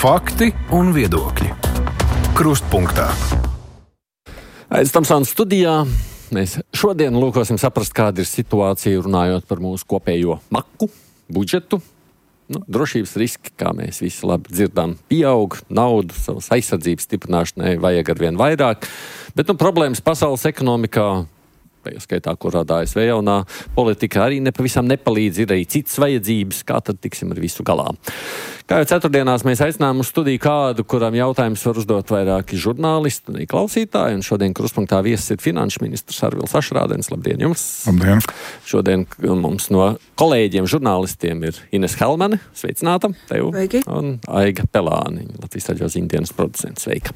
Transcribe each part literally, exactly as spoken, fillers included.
Fakti un viedokļi. Krustpunktā. Aiz Tamsāna studijā mēs šodien lūkosim saprast, kāda ir situācija, runājot par mūsu kopējo maku, budžetu. Nu, drošības riski, kā mēs visi labi dzirdam, pieaug, naudu savas aizsardzības stiprināšanai vajag arvien vairāk, bet nu, problēmas pasaules ekonomikā, tajā skaitā, kur rada A S V jaunā politika, arī nepavisam nepalīdz, ir arī citas vajadzības, kā tad tiksim ar visu galā. Kā jau ceturtdienās mēs aicinām uz studiju kādu, kuram jautājums var uzdot vairāki žurnālisti un klausītāji, un šodien Krustpunktā viesis ir finanšu ministrs Arvils Ašrādens. Labdien jums! Labdien! Šodien mums no kolēģiem žurnālistiem ir Ines Helmane, sveicināta, tev, Sveiki. Un Aiga Pelāni, Latvijas radio ziņdienas producents, sveika.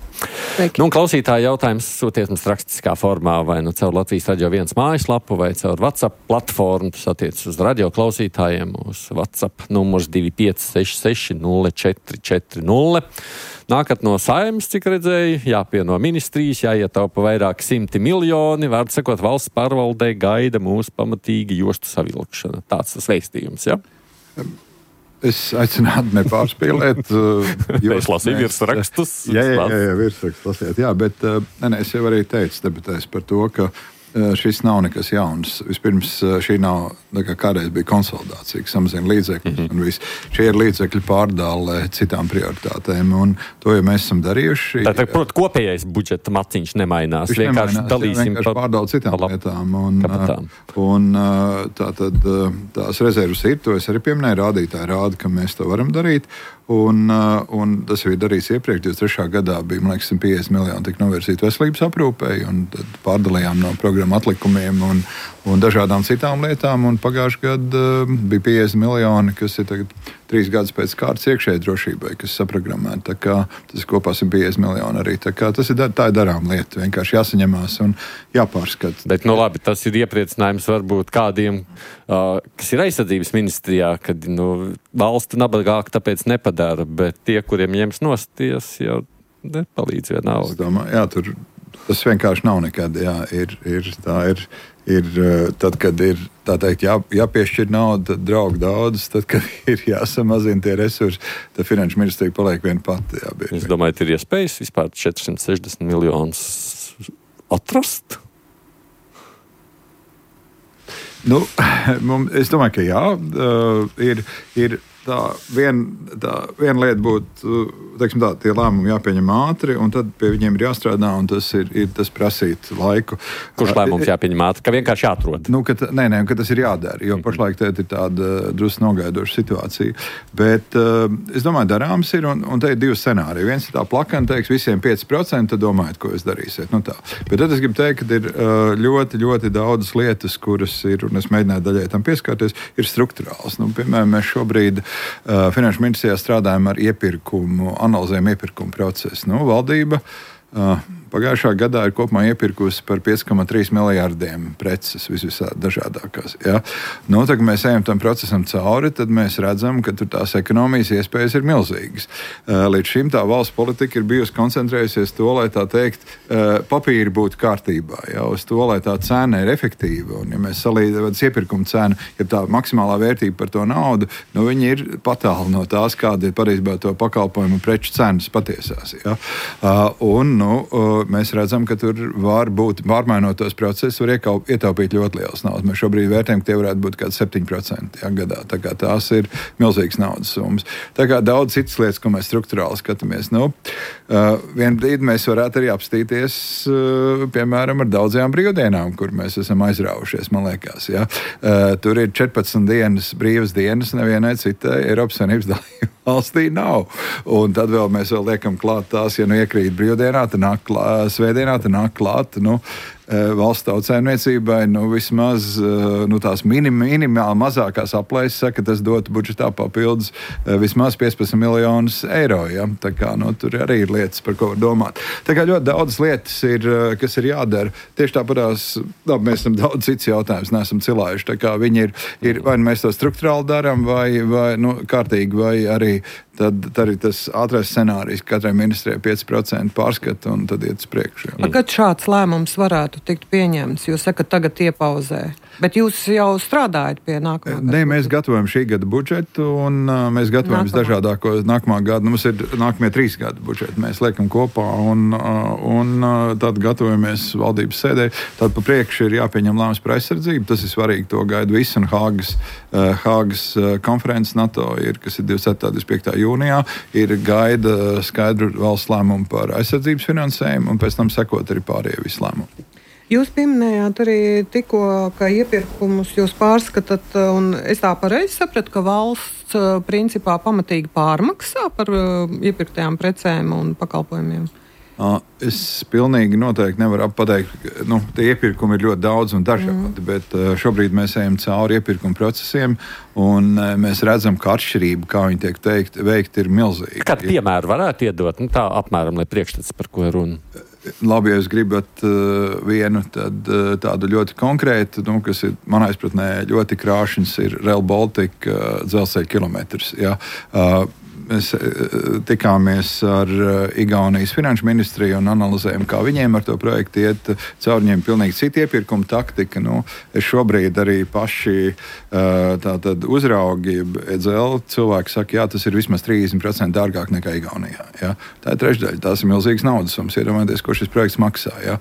Sveiki. Nu, un klausītāji jautājums sūtiet mums rakstiskā formā, vai nu caur Latvijas radio viens mājaslapu, vai caur WhatsApp platformu, tas attiec uz radio klausītājiem, uz WhatsApp numurs divi pieci seši seši nulle četri četri nulle. Nākat no Saeimas, cik redzēju, jāpieno ministrijas, jāietaupa vairāk simti miljoni, vārdu sakot, valsts pārvaldē gaida mūsu pamatīgi jostu savilkšana. Tāds tas vēstījums, ja? Es aicinātu nepārspīlēt. Es lasīju virsrakstus. Jā, jā, jā, jā virsrakstus lasiet, jā, bet ne, ne, es jau arī teicu debatēs par to, ka šis nav nekas jauns. Vispirms šī nav, kā kādreiz bija konsolidācija, kas samazina līdzekļus, mm-hmm. un viss. Šie ir līdzekļu pārdāle citām prioritātēm, un to jau mēs esam darījuši. Tātad, protams, kopējais budžeta maciņš nemainās. Viņš vienkārši nemainās, dalīsim vienkārši pa... pārdāle citām pa... lietām. Un, un tātad tās rezervas ir, to es arī pieminēju, rādītāji rāda, ka mēs to varam darīt. Un, un tas jau ir darīts iepriekš, divdesmit trešā gadā bija, man liekas, piecdesmit miljoni tika novirzīti veselības aprūpei, un tad pārdalījām no programmu atlikumiem un, un dažādām citām lietām, un pagājušajā gadā uh, bija piecdesmit miljoni, kas ir tagad trīs gadus pēc kārtas iekšējai drošībai, kas saprogrammēta. Tā kā tas kopā ir piecdesmit miljoni arī. Tā kā tas ir, tā ir darām lieta, vienkārši jāsaņemās un jāpārskata. Bet, nu labi, tas ir iepriecinājums varbūt kādiem, uh, kas ir aizsardzības ministrijā, kad nu, valsts nabagāk tāpēc nepadara, bet tie, kuriem ņems nosties, jau nepalīdz vienalga. Es domāju, jā, tur tas vienkārši nav nekad, jā, ir, ir, tā ir, ir, tad, kad ir, tā teikt, jā, jāpiešķir naudu, tad draug daudz, tad, kad ir jāsamazina tie resursi, tad finanšu ministrija paliek viena pati, jā. Bieži. Es domāju, ir iespējas vispār četri simti sešdesmit miljonus atrast? Nu, es domāju, ka jā, ir, ir tā viena tā vien lieta būtu, teiksim tā, tie lēmumi jāpieņem ātri, un tad pie viņiem ir jāstrādā, un tas ir, ir tas prasīt laiku. Kurš lēmums jāpieņem ātri? Ka vienkārši jāatrod? Nu, ka, nē, nē, ka tas ir jādara, jo pašlaik tēt ir tāda drusku nogaidoša situācija. Bet uh, es domāju, darāms ir, un, un te ir divi scenāriji. Viens ir tā plakana, teiks, visiem pieci procenti, tad domājiet, ko jūs darīsiet. Nu, tā. Bet tad es gribu teikt, ka ir uh, ļoti, ļoti daudzas lietas, kuras ir, un es mēģināju daļai tam pieskārties, ir strukturāls. Nu, piemēram, mēs šobrīd Uh, Finanšu ministrijā strādājam ar iepirkumu, analizējam iepirkumu procesu. Nu, valdība uh, pagājušā gadā ir kopumā iepirkusi par pieci komats trīs miljārdiem preces visvisā dažādākās. Ja? Nu, tad, kad mēs ejam tam procesam cauri, tad mēs redzam, ka tur tās ekonomijas iespējas ir milzīgas. Uh, līdz šim tā valsts politika ir bijusi koncentrējusies to, lai tā teikt, uh, papīri būtu kārtībā, ja? Uz to, lai tā cena ir efektīva. Un, ja mēs salīdzinām iepirkuma cenu, ja tā maksimālā vērtība par to naudu, nu, viņi ir patāli no tās, kāda ir patiesībā to pakalpojumu un preču cenas patiesās. Ja? Uh, un, nu, uh, mēs redzam, ka tur var būt, pārmainot tos procesus, var iekaup, ietaupīt ļoti liels naudas. Mēs šobrīd vērtējam, ka tie varētu būt kāds septiņi procenti ja, gadā. Tā kā tās ir milzīgas naudas summas. Tā kā daudz citas lietas, ko mēs strukturāli skatāmies. Nu, uh, vien brīdi mēs varētu arī apstīties, uh, piemēram, ar daudzajām brīvdienām, kur mēs esam aizrāvušies, man liekas. Ja. Uh, tur ir četrpadsmit dienas brīvas dienas, nevienai citai Eiropas Savienības dalībai valstī nav. Un tad vēl mēs vēl liekam klāt tās, ja nu iekrīt brīvdienā, tad nāk klāt, svētdienā, tad nāk klāt, nu, valsts tautsēmniecībai, nu, vismaz nu, tās minim, minimāli mazākās aplēses saka, ka tas dotu budžetā papildus vismaz piecpadsmit miljonus eiro. Ja? Tā kā, nu, tur arī ir lietas, par ko var domāt. Tā kā ļoti daudzas lietas ir, kas ir jādara. Tieši tāpatās, labi, mēs esam daudz cits jautājums, neesam cilājuši. Tā kā viņi ir, ir vai mēs to strukturāli darām, vai, vai nu, kārtīgi, vai arī tad, tad ir tas ātrais scenārijs, ka katrai ministrijai pieci procenti pārskata un tad iet uz priekšu. Kad šāds lēmums varētu tikt pieņemts? Jūs sakat, tagad iepauzē. Bet jūs jau strādājat pie nākamā gada? Nē, mēs gatavojam šī gada budžetu un uh, mēs gatavojam dažādāko nākamā gada. Nu, mums ir nākamie trīs gada budžeti. Mēs liekam kopā un, uh, un uh, tad gatavojamies valdības sēdē. Tad pa priekšu ir jāpieņem lēmums par aizsardzību. Tas ir svarīgi, to gaida visi. Un Hāgas, uh, Hāgas uh, konferences NATO ir, kas ir divdesmit septītā un divdesmit piekta jūnijā, ir gaida skaidru valsts lēmumu par aizsardzības finansējumu un pēc tam sekot arī pārējie visi lēmumi. Jūs pieminējāt arī tikko, ka iepirkumus jūs pārskatāt, un es tā pareizi sapratu, ka valsts principā pamatīgi pārmaksā par iepirktajām precēm un pakalpojumiem. Es pilnīgi noteikti nevaru pateikt, nu, tie iepirkumi ir ļoti daudz un dažādi, mm. bet šobrīd mēs ejam cauri iepirkuma procesiem un mēs redzam, ka atšķirība, kā viņi tiek teikt, veikt, ir milzīga. Kādu piemēru varētu iedot? Nu, tā apmēram, lai priekšstats, par ko ir runa. Labi, ja jūs gribat uh, vienu tad, uh, tādu ļoti konkrētu, nu, kas ir manā izpratnē ļoti krāšņs, ir Rail Baltica uh, dzelzceļa kilometrs. Ja? Uh, Mēs tikāmies ar Igaunijas finanšu ministriju un analizējam, kā viņiem ar to projektu iet. Caur viņiem pilnīgi cita iepirkuma taktika. Nu, es šobrīd arī paši tātad uzraugi, E D L cilvēki saka, jā, tas ir vismaz trīsdesmit procenti dārgāk nekā Igaunijā. Ja? Tā ir trešdaļa, tās ir milzīgas naudas summas. Iedomājieties, ko šis projekts maksā. Ja?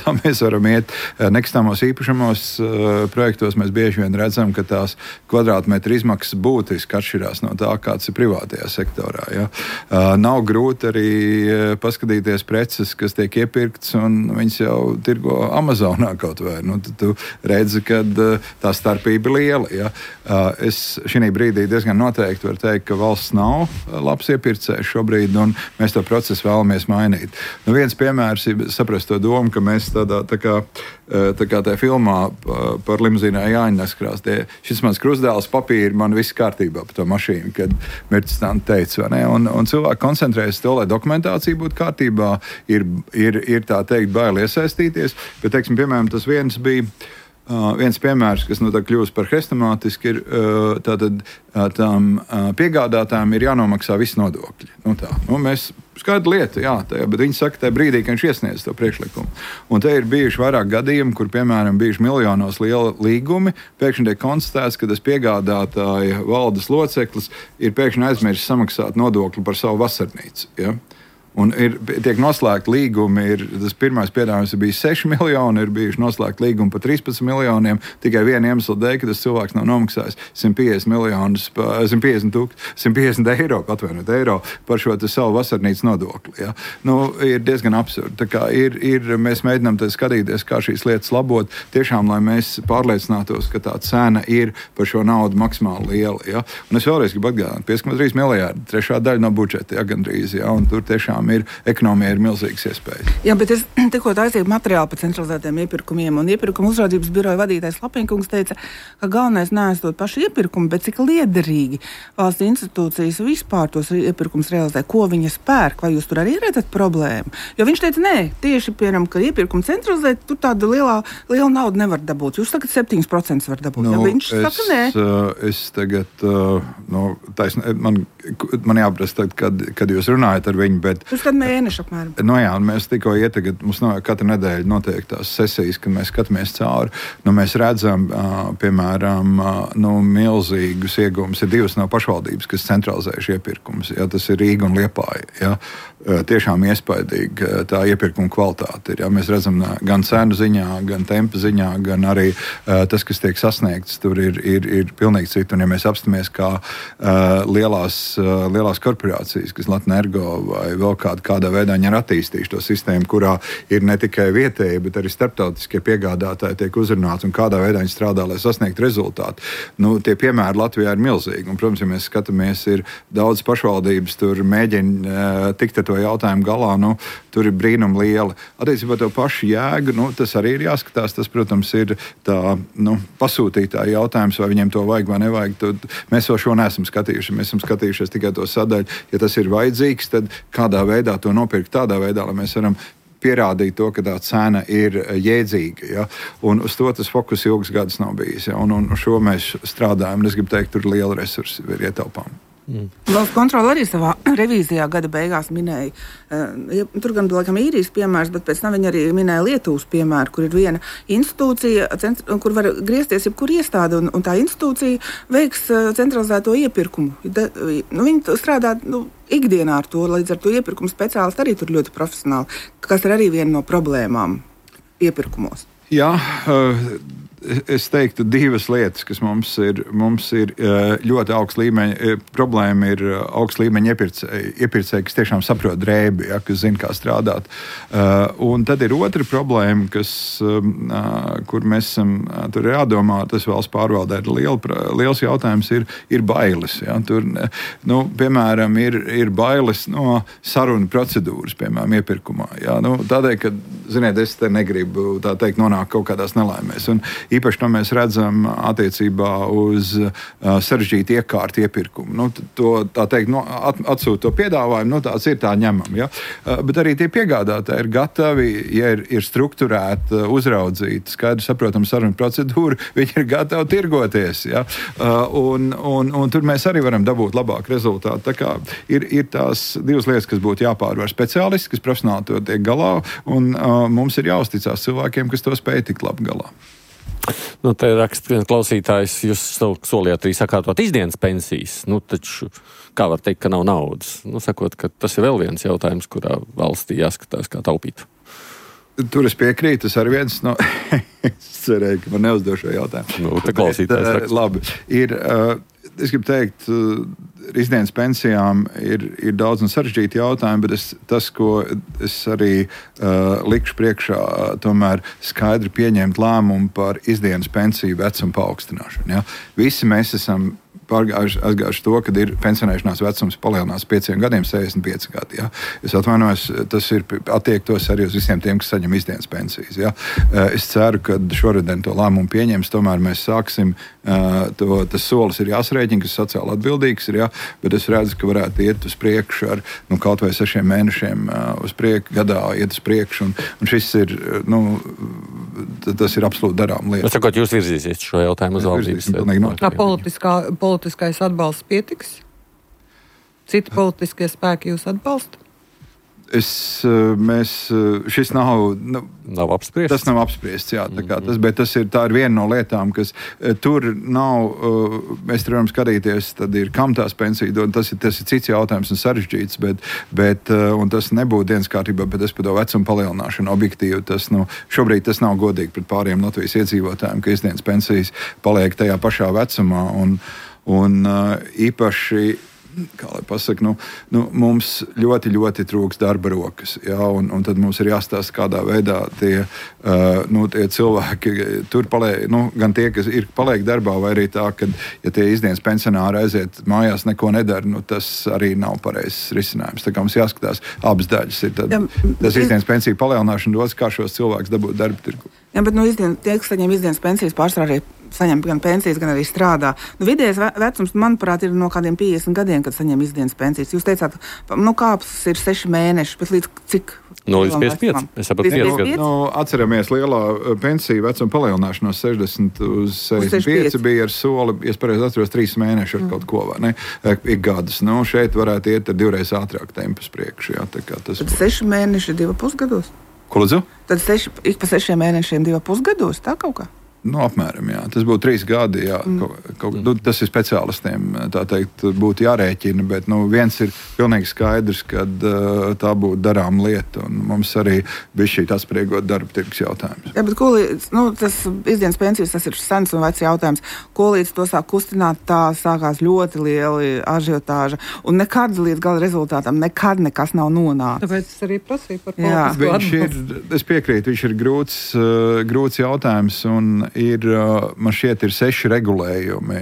Tā mēs varam iet nekustamos īpašumos projektos. Mēs bieži vien redzam, ka tās kvadrātmetru izmaksas būtiski atšķirās no tā, kāds ir privātajā sektorā. Ja. Uh, nav grūti arī paskatīties preces, kas tiek iepirkts, un viņas jau tirgo Amazonā kaut vai. Nu, tu, tu redzi, ka uh, tā starpība ir liela. Ja. Uh, es šī brīdī diezgan noteikti varu teikt, ka valsts nav labs iepirkējs šobrīd, un mēs to procesu vēlamies mainīt. Nu, viens piemērs ir saprast to domu, ka mēs tādā tā kā, tā kā tajā filmā par limuzīnā Jāņa neskrās. Tie, šis mans krustdēls papīri, man viss kārtībā par to mašīnu, kad Mirtis tā teica, vai ne? Un, un cilvēki koncentrējas to, lai dokumentācija būtu kārtībā, ir, ir, ir tā teikt baili iesaistīties, bet, teiksim, piemēram, tas viens bija Uh, viens piemērs, kas nu tā kļūst par hrestomātisku, ir uh, tātad uh, tām uh, piegādātājiem ir jānomaksā visi nodokļi. Nu tā, nu mēs skaidra lieta, jā, tajā, bet viņi saka tajā brīdī, ka viņš iesniedz to priekšlikumu. Un te ir bijuši vairāk gadījumi, kur, piemēram, bijuši miljonos liela līgumi, pēkšņi tiek konstatēts, ka tas piegādātāja valdes loceklis ir pēkšņi aizmirsis samaksāt nodokli par savu vasarnīcu, ja? Un ir, tiek noslēgti līgumi, ir, tas pirmais piedāvājums ir bijis seši miljoni, ir bijuši noslēgti līgumi par trīspadsmit miljoniem, tikai viena iemesla dēļ, ka tas cilvēks nav nomaksājis simt piecdesmit miljonus, simt piecdesmit, simt piecdesmit eiro, atvainot eiro par šo savu vasarnīcas nodokli. Ja? Nu, ir diezgan absurdi. Tā kā ir, ir, mēs mēģinām skatīties, kā šīs lietas labot, tiešām, lai mēs pārliecinātos, ka tā cena ir par šo naudu maksimāli liela. Ja? Un es vēlreiz gribu atgādināt, pieci komats trīs miljārdi, trešā daļa no budžeta, ja, gandrīz, ja? Un tur tiešām ir ekonomija ir milzīgas iespējas. Jā, bet es tikko aizsīju materiālu par centralizētiem iepirkumiem, un iepirkuma uzraudzības biroja vadītājs Lapinkungs teica, ka galvenais neesot paši iepirkumi, bet cik liederīgi valsts institūcijas vispār tos iepirkums realizē, ko viņas pērk, vai jūs tur arī redzat problēmu? Jo viņš teica, nē, tieši, piemēram, ka iepirkumu centralizēt, tur tāda lielā, liela nauda nevar dabūt. Jūs sakat, septiņi procenti var dabūt. Nu, ja viņš es, saka, nē. Es tagad, nu, taisn, man, man jāprast, tagad, kad, kad jūs runājat ar viņu, bet Uz kādu mēnešu apmēram. Nu jā, mēs tikko ietagad, mums no, katru nedēļu notiek tās sesijas, kad mēs skatāmies cauri. Nu, mēs redzam, uh, piemēram, uh, nu, milzīgus iegūmus. Ir divas no pašvaldības, kas centralizējuši iepirkumus. Ja, tas ir Rīga un Liepāja. Ja. Uh, tiešām iespaidīgi uh, tā iepirkuma kvalitāte ir. Ja. Mēs redzam uh, gan cenu ziņā, gan tempa ziņā, gan arī uh, tas, kas tiek sasniegts, tur ir, ir, ir pilnīgi citi. Un ja mēs apstamies kā uh, lielās, uh, lielās korporācijas, kas Latnergo vai vēl kādā, kādā veidā viņi ir attīstījuši to sistēmu, kurā ir ne tikai vietēji, bet arī starptautiskie piegādātāji tiek uzrunāti un kādā veidā viņi strādā, lai sasniegtu rezultātu. Nu, tie piemēri Latvijā ir milzīgi. Un, protams, ja mēs skatāmies, ir daudz pašvaldības, tur mēģina uh, tikt ar to jautājumu galā, nu, tur ir brīnum lieli. Attiecībā to pašu jēgu, nu, tas arī ir jāskatās. Tas, protams, ir tā, nu, pasūtītāja jautājums, vai viņiem to vajag vai nevajag. Tad mēs vēl šo neesam skatījuši. Mēs esam skatījušies tikai to sadaļu. Ja tas ir vajadzīgs, tad kādā veidā to nopirkt tādā veidā, lai mēs varam pierādīt to, ka tā cena ir jēdzīga. Ja? Un uz to tas fokus ilgas gadus nav bijis. Ja? Un, un šo mēs strādājam. Es gribu teikt, tur liela resursi ir ietaupām. Mm. Valsts kontrole arī savā revīzijā gada beigās minēja, uh, tur gan laikam īrijas piemērs, bet pēc tam viņi arī minēja Lietuvas piemēru, kur ir viena institūcija, centr, kur var griezties jebkur iestāde, un, un tā institūcija veiks uh, centralizēto iepirkumu. De, nu, viņi strādā nu, ikdienā ar to, līdz ar to iepirkumu speciālisti arī tur ļoti profesionāli, kas ir arī viena no problēmām iepirkumos. Jā, uh... Es teiktu, divas lietas, kas mums ir, mums ir ļoti augsts līmeņa. Problēma ir augsts līmeņa iepirkēji, iepirkēji, kas tiešām saprot drēbi, ja, kas zina, kā strādāt. Un tad ir otra problēma, kas, kur mēs esam, tur ir jādomā, tas valsts pārvaldē ir liel, liels jautājums, ir, ir bailes. Ja. Tur, nu, piemēram, ir, ir bailes no sarunu procedūras, piemēram, iepirkumā. Ja. Nu, tādēļ, ka, ziniet, es te negribu tā teikt nonākt kaut kādās nelaimēs. Un īpaši to mēs redzam attiecībā uz uh, sarežģītu iekārtu iepirkumu. Nu, to, tā teikt, no, at, atsūt to piedāvājumu, nu, tāds ir tā ņemam. Ja? Uh, bet arī tie piegādātāji ir gatavi, ja ir, ir strukturēta, uzraudzīta, skaidri saprotama saruna procedūra, viņi ir gatavi tirgoties. Ja? Uh, un, un, un tur mēs arī varam dabūt labāku rezultātu. Tā kā ir, ir tās divas lietas, kas būtu jāpārvar speciālisti, kas profesionāli to tiek galā, un uh, mums ir jāuzticās cilvēkiem, kas to spēj tikt labi galā. Nu, te raksta viens klausītājs, jūs solījāt arī sakārtot izdienas pensijas. Nu, taču, kā var teikt, ka nav naudas? Nu, sakot, ka tas ir vēl viens jautājums, kurā valstī jāskatās, kā taupīt. Tur es piekrītu, tas arī viens no... es cerēju, ka man neuzdošu šo jautājumu. Nu, te klausītājs raksta. Labi, ir... Uh, Es gribu teikt, ar izdienas pensijām ir, ir daudz un sarežģīti jautājumi, bet es, tas, ko es arī uh, likšu priekšā, tomēr skaidri pieņemt lēmumu par izdienas pensiju vecumu paaugstināšanu. Ja? Visi mēs esam pārgājuši, aizgājuši to, kad ir pensionēšanās vecums palielinās pieciem gadiem, sešdesmit pieci gadi. Ja? Es atvainojos, tas ir attiektos arī uz visiem tiem, kas saņem izdienas pensijas. Ja? Es ceru, ka šoruden to lēmumu pieņems, tomēr mēs sāksim, to, tas solis ir jāsrēķina, kas sociāli atbildīgs ir, ja? Bet es redzu, ka varētu iet uz priekšu ar nu, kaut vai sešiem mēnešiem uz priekšu, gadā iet uz priekšu, un, un šis ir, nu, tas ir absolūti darām lieta. Es sakot, jūs virzīsiet šo jautājumu uz valdības. Kā politiskā, politiskais atbalsts pietiks? Citi politiskie spēki jūs atbalsta? Es, mēs, šis nav, nu, nav apspriests. Tas nav apspriests, jā, tā kā tas, bet tas ir, tā ir viena no lietām, kas tur nav, mēs tur varam skatīties, tad ir, kam tās pensija dod, tas ir, tas ir cits jautājums un sarežģīts, bet, bet un tas nebūtu dienas kārtībā, bet es par to vecumu palielināšanu objektīvi, tas, nu, šobrīd tas nav godīgi pret pāriem Latvijas iedzīvotājiem, ka izdienas pensijas paliek tajā pašā vecumā, un, un īpaši kā lai pasaka, nu, nu, mums ļoti, ļoti trūks darba rokas. Jā, un, un tad mums ir jāstāsta, kādā veidā tie, uh, nu, tie cilvēki tur paliek, nu, gan tie, kas ir paliek darbā, vai arī tā, ka, ja tie izdienas pensionāri aiziet mājās, neko nedara, nu, tas arī nav pareizs risinājums. Tā kā mums jāskatās abas daļas. Ir tad, tas izdienas pensiju palielināšana dos, kā šos cilvēkus dabūt darba tirgu. Jā, bet nu, izdien, tie, kas saņem izdienas pensijas, pārsvarā arī saņem gan pensijas, gan arī strādā. Nu, vidējais vecums, manuprāt, ir no kādiem piecdesmit gadiem, kad saņem izdienas pensijas. Jūs teicāt, nu kāps ir seši mēneši, bet līdz cik? No līdz piecdesmit pieci. Es saprotu, pieci gadi. Nu, atceramies lielā pensiju vecuma palielināšanos sešdesmit uz sešdesmit pieci bija ar soli, ja es pareizi atceros, trīs mēneši ar mm. kaut ko, vai ne? Ik gadus. Nu, šeit varētu iet ar divreiz ātrāk tempus priekšu. Jā, tā kā tas. Tad seši mēneši divi pusgados? Ko lūdzu? Tad seši, ik pa sešiem mēnešiem divi pusgados, tā kaut kā? Nu, apmēram, jā. Tas būtu trīs gadi, jā. Mm. Kaut, kaut, nu, tas ir speciālistiem, tā teikt, būtu jārēķina, bet nu, viens ir pilnīgi skaidrs, ka uh, tā būtu darām lieta, un mums arī bija šī atspriegot darba tirgus jautājums. Jā, bet ko līdz, nu, tas izdienas pensijas, tas ir sens un vecs jautājums. Ko līdz to sāk kustināt, tā sākās ļoti lieli ažiotāža, un nekad līdz gala rezultātam nekad nekas nav nonācis. Tāpēc es arī prasīju par politisko atbalstu. Es piekrītu, viņš ir grūts, uh, grūts jautājums, un ir, man šķiet, ir seši regulējumi.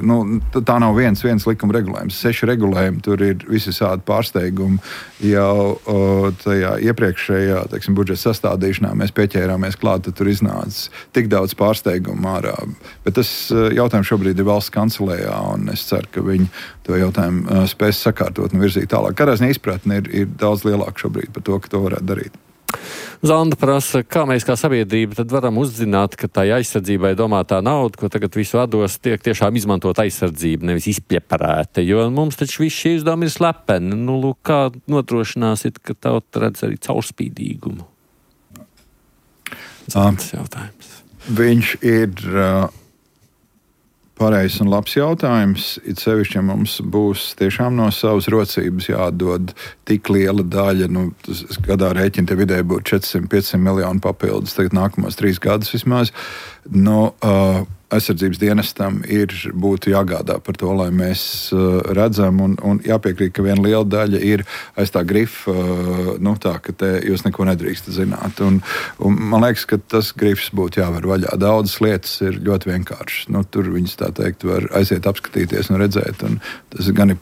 Nu, tā nav viens, viens likuma regulējums. Seši regulējumi, tur ir visi sādi pārsteigumi. Jau tajā iepriekšējā, teiksim, budžeta sastādīšanā mēs pieķērāmies klāt, tad tur iznāca tik daudz pārsteigumu ārā. Bet tas jautājums šobrīd ir valsts kancelējā, un es ceru, ka viņi to jautājumu spēs sakārtot un virzīt tālāk. Kādā ziņā izpratne ir, ir daudz lielāka šobrīd par to, ka to varētu darīt. Zanda prasa, kā mēs kā sabiedrība tad varam uzzināt, ka tai aizsardzībai domātā nauda, ko tagad visu vados, tiek tiešām izmantot aizsardzība, nevis izpļeparēta, jo mums taču viss šie izdevumi ir slepeni. Nu, lūk, kā nodrošināsit, ka tauta redz arī caurspīdīgumu? Tas jautājums. Viņš ir uh, pareizs un labs jautājums. It sevišķi, ja mums būs tiešām no savas rocības jādod tik liela daļa, nu, tas gadā rēķina te vidēji būtu četri simti pieci simti miljoni papildus, tagad nākamos trīs gadus vismaz. No, uh, aizsardzības dienestam ir būtu jāgādā par to, lai mēs uh, redzam, un, un jāpiekrīt, ka viena liela daļa ir aiz tā grifa, uh, nu tā, ka te jūs neko nedrīkstat zināt. Un, un man liekas, ka tas grifs būtu jāver vaļā. Daudzas lietas ir ļoti vienkāršas. Nu, tur viņas tā teikt var aiziet apskatīties un redzēt. Un tas ir gan,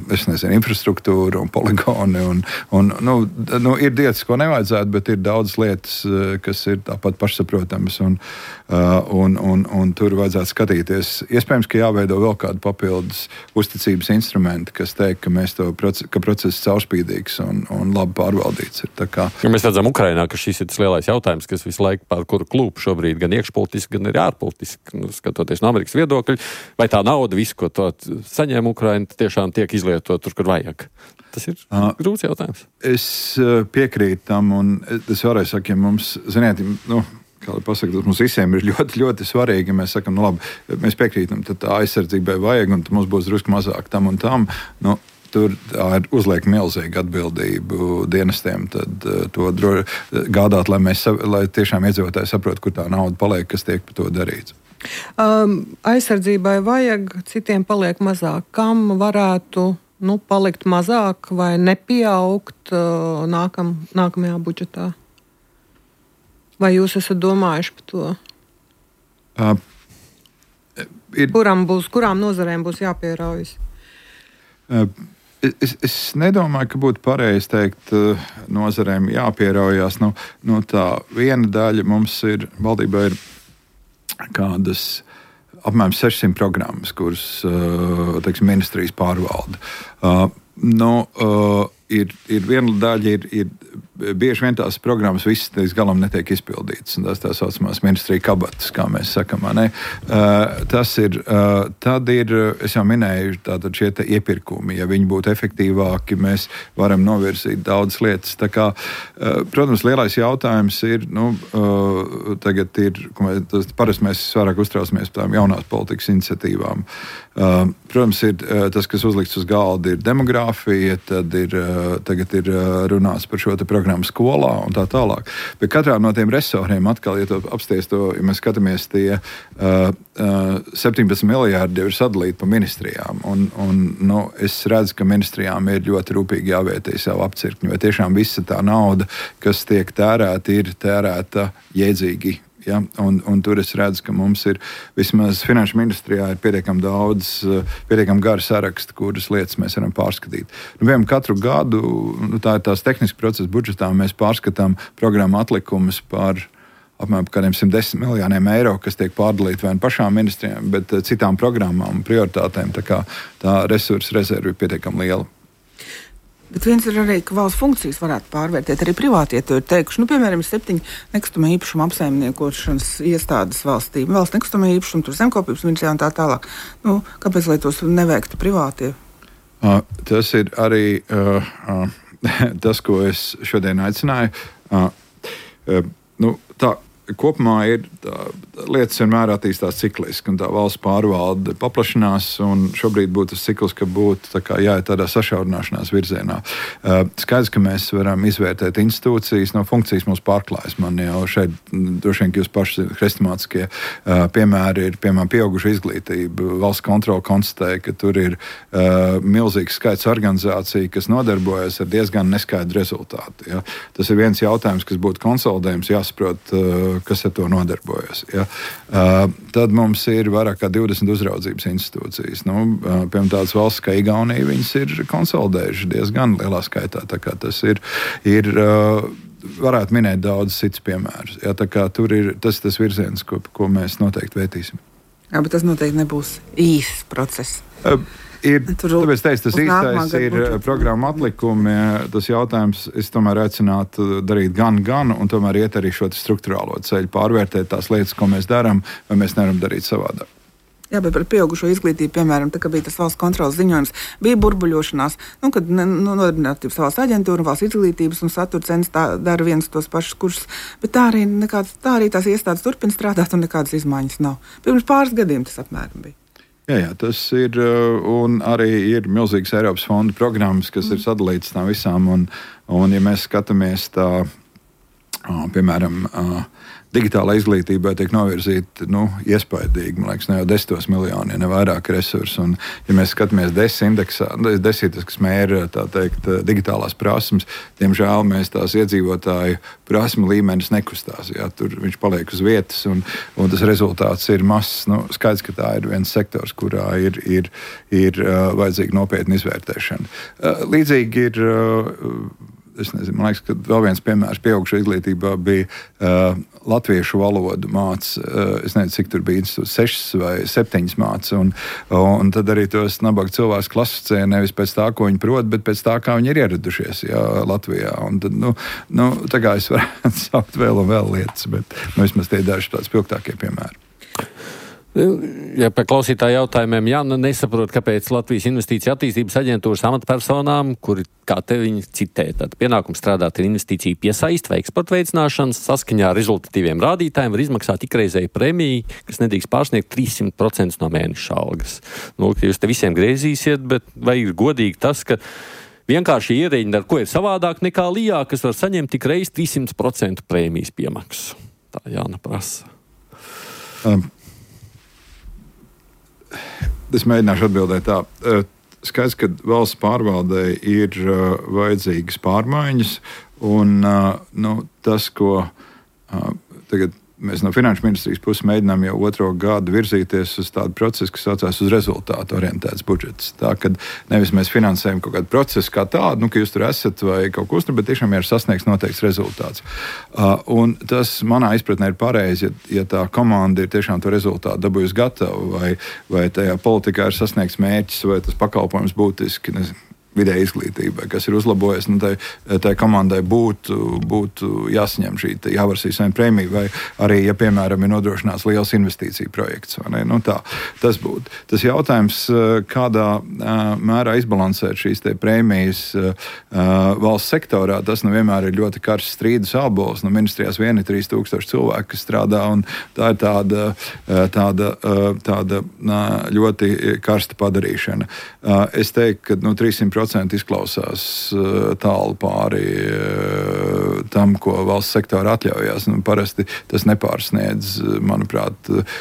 es nezinu, infrastruktūra un poligoni. Un, un, nu, nu, ir lietas, ko nevajadzētu, bet ir daudzas lietas, kas ir tāpat pašsaprotamas. Un, uh, un, un, un tur vajadzētu skatīties. Iespējams, ka jāveido vēl kādu papildus uzticības instrumentu, kas teikt, ka, mēs to proces, ka process ir caurspīdīgs un, un labi pārvaldīts. Ir kā... ja mēs redzam Ukrainā, ka šis ir tas lielais jautājums, kas visu laiku pār kuru klūp šobrīd gan iekšpolitiski, gan arī ārpolitiski, nu, skatoties no Amerikas viedokļa, vai tā nauda, visu, ko to saņem Ukraina, tiešām tiek izlietot tur, kur vajag. Tas ir uh, grūts jautājums. Es piekrītu tam, un es varēju sakt, ja mums, ziniet, nu, kā lai pasaka, tas mums visiem ir ļoti, ļoti svarīgi, ja mēs sakam, nu labi, mēs piekrītam, tad tā aizsardzībai vajag, un mums būs drusku mazāk tam un tam. Nu, tur ir uzliek milzīga atbildību dienestiem, tad uh, to dro, gādāt, lai, mēs, lai tiešām iedzīvotāji saprot, kur tā nauda paliek, kas tiek par to darīts. Um, aizsardzībai vajag, citiem paliek mazāk. Kam varētu nu, palikt mazāk vai nepieaugt uh, nākam, nākamajā budžetā? Vai jūs esat domājuši par to? Uh, ir, Kuram būs, kurām nozarēm būs jāpieraujas? Uh, es, es nedomāju, ka būtu pareizi teikt, uh, nozarēm jāpieraujas. Nu, nu tā viena daļa mums ir, valdībā ir kādas apmēram sešsimt programmas, kuras uh, teiksim, ministrijas pārvalda. Uh, nu, uh, ir, ir viena daļa, ir, ir bieži vien tās programmas visas līdz galam netiek izpildītas. Tās tā saucamās ministrija kabatas, kā mēs sakam. Ne? Uh, tas ir, uh, tad ir, es jau minēju, tātad šie te iepirkumi. Ja viņi būtu efektīvāki, mēs varam novirzīt daudzas lietas. Tā kā, uh, protams, lielais jautājums ir, nu, uh, tagad ir, tas, parasti mēs vairāk uztraucamies par tām jaunās politikas iniciatīvām. Uh, protams, ir uh, tas, kas uzlikts uz galda, ir demogrāfija, tad ir, uh, tagad ir uh, runāts par šo te programmu skolā un tā tālāk. Bet katrā no tiem resoriem atkal, ja to apsties to, ja mēs skatāmies, tie uh, uh, septiņpadsmit miljārdi jau ir sadalīti pa ministrijām. Un, un nu, es redzu, ka ministrijām ir ļoti rūpīgi jāvērtē savu apcirkņu, jo tiešām visa tā nauda, kas tiek tērēta, ir tērēta jēdzīgi. Ja? Un, un tur es redzu, ka mums ir vismaz finanšu ministrijā ir pietiekami daudz, pietiekami gara saraksti, kuras lietas mēs varam pārskatīt. Nu, piemēram, katru gadu, nu, tā ir tās tehniski procesa budžetā, mēs pārskatām programmu atlikumus par apmēram kādiem simt desmit miljoniem eiro, kas tiek pārdalīti vai pašām ministrijām, bet citām programmām un prioritātēm. Tā kā tā resursu rezerve ir pietiekami liela. Bet viens ir arī, ka valsts funkcijas varētu pārvērtēt. Arī privātie to ir teikuši. Nu, piemēram, ir septiņi nekustamā īpašuma apsaimniekošanas iestādes valstī. Valsts nekustamā īpašuma, tur zemkopības ministrijā un tā tālāk. Nu, kāpēc, lai tos neveiktu privātie? Uh, tas ir arī uh, uh, tas, ko es šodien aicināju. Uh, uh, nu, tā, kopumā ir tā, lietas vienmēr attīstās cikliski, un tā valsts pārvalde paplašinās, un šobrīd būtu tas cikls, ka būtu tā kā jāiet tādā sašaurināšanās virzienā. Uh, skaidrs, ka mēs varam izvērtēt institūcijas, no funkcijas mums pārklājas. Man jau šeit, droši vien, ka jūs paši hrestomātiskie uh, piemēri ir, piemēram, pieauguša izglītība. Valsts kontrole konstatēja, ka tur ir uh, milzīgs skaits organizāciju, kas nodarbojas ar diezgan neskaidru rezultātu. Ja? Tas ir viens jautājums, kas būtu konsolidējums, jāsaprot, uh, kas ar to nodarbojas. Ja? Uh, tad mums ir vairāk kā divdesmit uzraudzības institūcijas. Nu, uh, piemēram, tādas valsts kā Igaunija, viņas ir konsolidējuši diezgan lielā skaitā. Tā kā tas ir, ir uh, varētu minēt daudz cits piemērus. Ja? Tā kā tur ir tas, tas virziens, ko, ko mēs noteikti vērtīsim. Jā, bet tas noteikti nebūs īsts process. Uh, Ir, Tur, tāpēc teicu, tas īstais ir budžetu. Programma atlikumi. Tas jautājums, es tomēr aicinātu darīt gan, gan, un tomēr iet arī šo struktūrālo ceļu, pārvērtēt tās lietas, ko mēs darām, vai mēs nevaram darīt savādāk. Jā, bet par pieaugušo izglītību, piemēram, tā kā bija tas valsts kontrolas ziņojums, bija burbuļošanās, nu, kad nu, nodarbinātības valsts aģentūra un valsts izglītības un satura centrs dara viens tos pašus kursus, bet tā arī, nekāds, tā arī tās iestādes turpina strādāt un nekādas izmaiņas nav. Pirms pāris gadiem tas apmēram bija. Jā, jā, tas ir, un arī ir milzīgas Eiropas fondu programmas, kas mm. ir sadalītas tām visām, un, un ja mēs skatāmies tā, piemēram, digitālā izglītībai tiek novirzīti nu, iespaidīgi, man liekas, ne jau desmitos miljoni, ja ne vairāk resursu. Un, ja mēs skatāmies DESI indeksā, DESI, kas mēra tā teikt, digitālās prasmes, diemžēl mēs tās iedzīvotāju prasmu līmenis nekustās. Jā, tur viņš paliek uz vietas, un, un tas rezultāts ir mazs. Nu, skaidrs, ka tā ir viens sektors, kurā ir, ir, ir uh, vajadzīga nopietna izvērtēšana. Uh, līdzīgi ir. Uh, Es nezinu, man liekas, ka vēl viens piemērs pieaugušo izglītībā bija uh, latviešu valodu māca. Uh, es nezinu, cik tur bija institūts, sešas vai septiņas māca. Un, un tad arī tos nabaga cilvēkus klasificēja nevis pēc tā, ko viņi prot, bet pēc tā, kā viņi ir ieradušies jā, Latvijā. Un tad, nu, nu, tā kā es varētu saukt vēl un vēl lietas, bet nu, vismaz tie daži tāds spilgtākie piemēri. Ja par klausītāju jautājumiem, Jāna nesaprot, kāpēc Latvijas Investīcija attīstības aģentūras amatpersonām, kuri, kā te viņi citē, tad pienākums strādāt ar investīciju piesaist vai eksporta veicināšanas, saskaņā ar rezultatīviem rādītājiem var izmaksāt ikreizēju prēmiju, kas nedrīkst pārsniegt trīssimt procentus no mēneša algas. Nu, jūs te visiem griezīsiet, bet vai ir godīgi tas, ka vienkārši ierēģi ar ko ir savādāk nekā Lijā, kas var saņemt tik reiz trīssimt procentu prēmijas piemaksu? Tā Jāna prasa. Um. Es mēģināšu atbildēt tā. Skaidrs, ka valsts pārvaldē ir uh, vajadzīgas pārmaiņas, un uh, nu, tas, ko uh, tagad mēs no Finanšu ministrijas puses mēģinām jau otro gadu virzīties uz tādu procesu, kas saucās uz rezultātu orientēts budžets. Tā, kad nevis mēs finansējam kaut kādu procesu kā tādu, nu, ka jūs tur esat vai kaut ko uztur, bet tiešām ir sasniegts noteikts rezultāts. Uh, un tas manā izpratnē ir pareizi, ja, ja tā komanda ir tiešām to rezultātu dabūjusi gatavu, vai, vai tajā politikā ir sasniegts mērķis, vai tas pakalpojums būtiski, nezinu, vidēja izglītībai, kas ir uzlabojies, nu, tai, tai komandai būtu, būtu jāsaņem šī jāvarsīs viena prēmija, vai arī, ja, piemēram, ir nodrošināts liels investīciju projekts. Nu, tā, tas būtu. Tas jautājums, kādā mērā izbalansēt šīs te prēmijas valsts sektorā, tas nu vienmēr ir ļoti karsts strīdus ābols. Nu, ministrijās vien ir trīs tūkstoši cilvēki, kas strādā, un tā ir tāda, tāda, tāda ļoti karsta padarīšana. Es teiktu, ka nu, trīssimt procenti izklausās uh, tālu pāri uh, tam, ko valsts sektora atļaujās. Nu, parasti tas nepārsniedz, manuprāt, uh,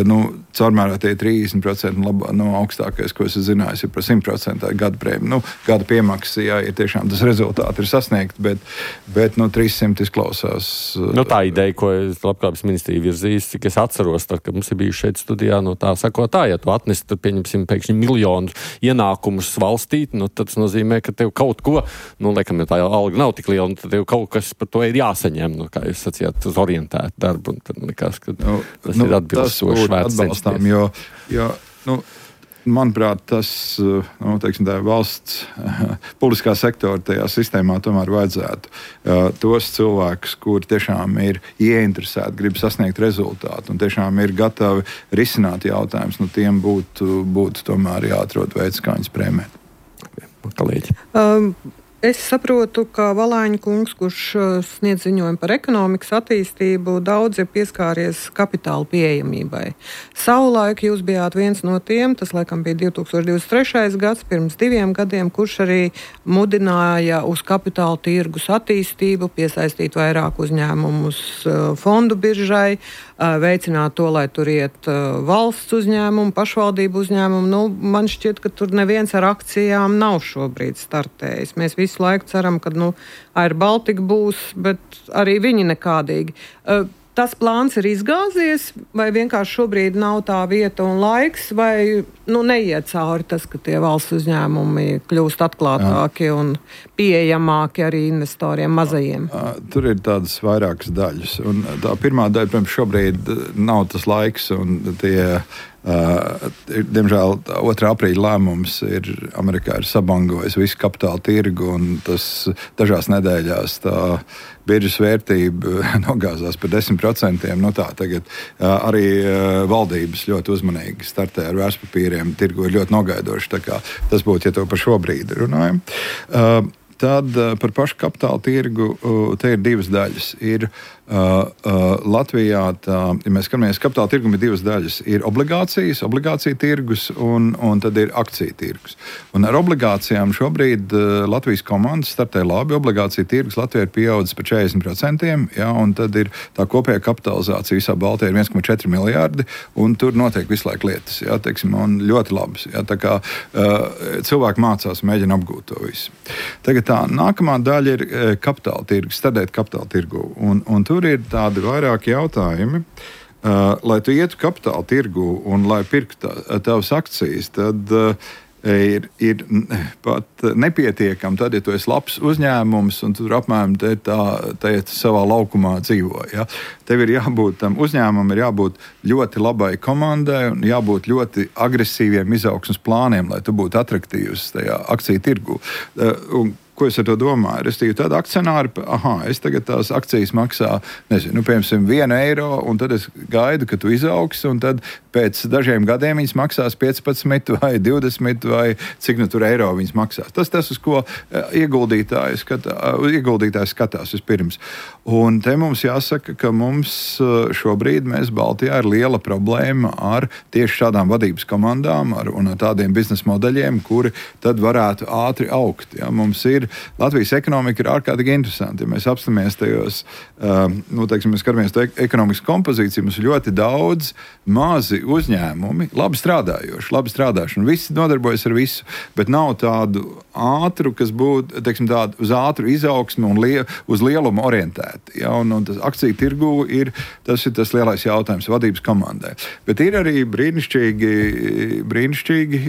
nu, caurmērā tie trīsdesmit procenti labā, nu, augstākais, ko es zināju, ir par simt procenti gada prēmija. Nu, gada piemaksa, jā, ir tiešām tas rezultāti ir sasniegt, bet, bet nu, trīssimt izklausās. Uh, nu, tā ideja, ko Labklājības ministrija virzīs, cik es atceros, tad, kad mums ir bijuši šeit studijā, no tā sako tā, ja tu atnesi, tad pieņemsim pēkšņi miljonu ienākumus valstī, nu, tad tas nozīmē, ka tev kaut ko, nu, laikam, ja tā alga nav tik liela, tad tev kaut kas par to ir jāsaņem, nu, kā jūs sacījāt, uz orientētu darbu, un tad likās, ka nu, tas nu, ir atbilstoši vērts censties. Jo, jo, nu, manuprāt, tas, nu, teiksim, tā valsts publiskā sektora tajā sistēmā tomēr vajadzētu uh, tos cilvēkus, kuri tiešām ir ieinteresēti, grib sasniegt rezultātu un tiešām ir gatavi risināt jautājumus, nu, tiem būtu, būtu tomēr jāatrod veids, kā viņus prēmēt. Um, es saprotu, ka Valāņa kungs, kurš sniedz ziņojumu par ekonomikas attīstību, daudz ir pieskāries kapitāla pieejamībai. Savulaik jūs bijāt viens no tiem, tas laikam bija divi tūkstoši divdesmit trešais gads, pirms diviem gadiem, kurš arī mudināja uz kapitāla tirgus attīstību, piesaistīt vairāk uzņēmumus fondu biržai, veicināt to, lai tur iet valsts uzņēmumu, pašvaldību uzņēmumu. Nu, man šķiet, ka tur neviens ar akcijām nav šobrīd startējis. Mēs visu laiku ceram, ka nu, Air Baltica būs, bet arī viņi nekādīgi. Tas plāns ir izgāzies, vai vienkārši šobrīd nav tā vieta un laiks, vai nu, neiet cauri tas, ka tie valsts uzņēmumi kļūst atklātāki Jā. Un pieejamāki arī investoriem mazajiem? Tur ir tādas vairākas daļas. Un tā pirmā daļa, protams, šobrīd nav tas laiks, un tie Uh, diemžēl otrā aprīļa lēmums ir Amerikā ir sabangojis visu kapitāla tirgu, un tas dažās nedēļās tā biržas vērtība nogāzās par desmit procentiem. Nu tā, tagad uh, arī uh, valdības ļoti uzmanīgi startē ar vērtspapīriem. Tirgu ir ļoti nogaidoši. Tā kā tas būtu, ja to par šo brīdi runājam. Uh, Tad par pašu kapitāla tirgu te ir divas daļas. Ir uh, uh, Latvijā, tā, ja mēs skatāmies, kapitāla tirgum ir divas daļas. Ir obligācijas, obligācija tirgus un, un tad ir akciju tirgus. Un ar obligācijām šobrīd uh, Latvijas komandas startē labi. Obligācija tirgus Latvijā ir pieaudzis par četrdesmit procentiem, ja, un tad ir tā kopējā kapitalizācija visā Baltijā ir viens komats četri miljārdi, un tur notiek visu laiku lietas, ja, teiksim, un ļoti labas. Ja, tā kā uh, cilvēki mācās, mēģina apgūt to visu. Tagad tā, nākamā daļa ir kapitāla tirgus, stādēt kapitāla tirgu. Un, un tur ir tādi vairāki jautājumi. Uh, lai tu ietu kapitāla tirgu un lai pirktu tā, tavas akcijas, tad uh, ir, ir pat nepietiekami tad, ja tu esi labs uzņēmums un tu tur apmēram te tā, te savā laukumā dzīvo. Ja? Tev ir jābūt tam uzņēmumam, ir jābūt ļoti labai komandai un jābūt ļoti agresīviem izaugsmes plāniem, lai tu būtu atraktīvs tajā akciju tirgu. Uh, un, Ko es ar to domāju? Es tīju tādu akcionāru, aha, es tagad tās akcijas maksā, nezinu, nu, piemēram, vienu eiro, un tad es gaidu, ka tu izaugsi, un tad pēc dažiem gadiem viņas maksās piecpadsmit vai divdesmit vai cik nu tur eiro viņas maksās. Tas tas, uz ko ieguldītājs skatā, ieguldītājs skatās vispirms. Un te mums jāsaka, ka mums šobrīd mēs Baltijā ir liela problēma ar tieši šādām vadības komandām ar, un ar tādiem biznesa modeļiem, kuri tad varētu ātri augt. Ja? Mums ir Latvijas ekonomika ir ārkārtīgi interesanti. Ja mēs apstāmies tajos, um, nu, teiksim, mēs skatāmies to ekonomikas kompozīciju, mums ir ļoti daudz mazi uzņēmumi, labi strādājoši, labi strādājuši, un visi nodarbojas ar visu, bet nav tādu ātru, kas būtu, teiksim, tādu uz ātru izaugsmu un lie, uz lielumu orientēti. Ja? Un, un tas akciju tirgu ir tas, ir tas lielais jautājums vadības komandai. Bet ir arī brīnišķīgi, brīnišķīgi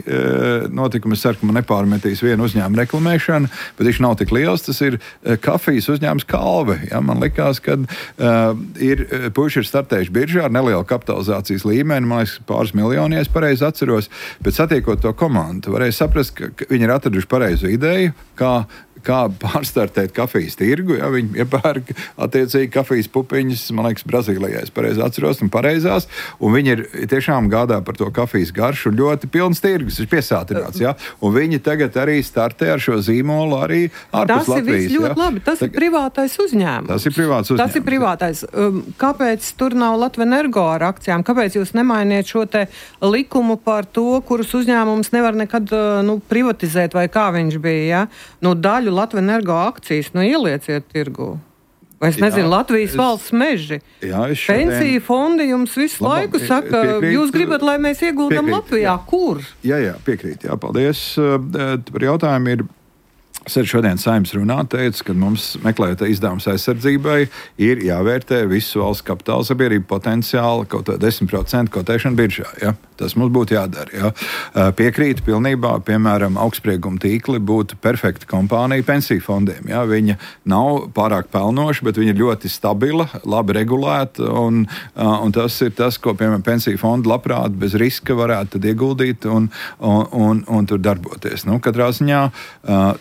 notikumi. Es ceru, ka man nepārmetīs vienu uzņēmumu reklamēšanu, bet viņš nav tik liels. Tas ir kafijas uzņēmums Kalve. Ja? Man likās, ka uh, ir, puiši ir startējuši biržā ar nelielu kapitalizācijas līmeni, man liekas, pāris miljoni, ja es pareizi atceros, bet satiekot to komandu, varēja saprast, ka, ka viņi ir atraduši pareizu ideju, kā kā pārstartēt kafijas tirgu. Ja, viņi iepērk attiecīgi kafijas pupiņas, man liekas, Brazīlijā, es pareizi atceros, un pareizās, un viņi ir tiešām gādā par to kafijas garšu, un ļoti pilns tirgus, ir piesātināts. Ja, un viņi tagad arī startē ar šo zīmolu arī ārpus Latvijas. Tas ir viss ļoti ja. labi, tas Tag... ir privātais uzņēmums. Tas ir privāts uzņēmums. Tas ir privātais. Kāpēc tur nav Latvenergo ar akcijām? Kāpēc jūs nemainiet šo te likumu par to, kurus uzņēmums nevar nekad nu, privatizēt, vai kā viņš bija? Ja? Nu, daļu Latvenergo akcijas, nu ielieciet tirgu. Vai es nezinu, jā, Latvijas es, valsts meži. Jā, šodien... Pensiju fondi jums visu Labam, laiku saka, piekrīt, jūs gribat, lai mēs ieguldam piekrīt, Latvijā. Jā. Kur? Jā, jā, piekrīt. Jā, paldies. Par jautājumu ir... Es arī šodien Saeimas runā teicu, ka mums, meklējot izdevumus aizsardzībai, ir jāvērtē visu valsts kapitāla sabiedrību potenciāli kaut kā desmit procentu kotēšana biržā. Ja? Tas mums būtu jādara. Ja? Piekrītu pilnībā, piemēram, augstsprieguma tīkli būtu perfekta kompānija pensiju fondiem. Ja? Viņa nav pārāk pelnoša, bet viņa ir ļoti stabila, labi regulēta, un, un tas ir tas, ko, piemēram, pensiju fondi labprāt bez riska varētu tad ieguldīt un, un, un, un tur darboties. Nu, katrā ziņā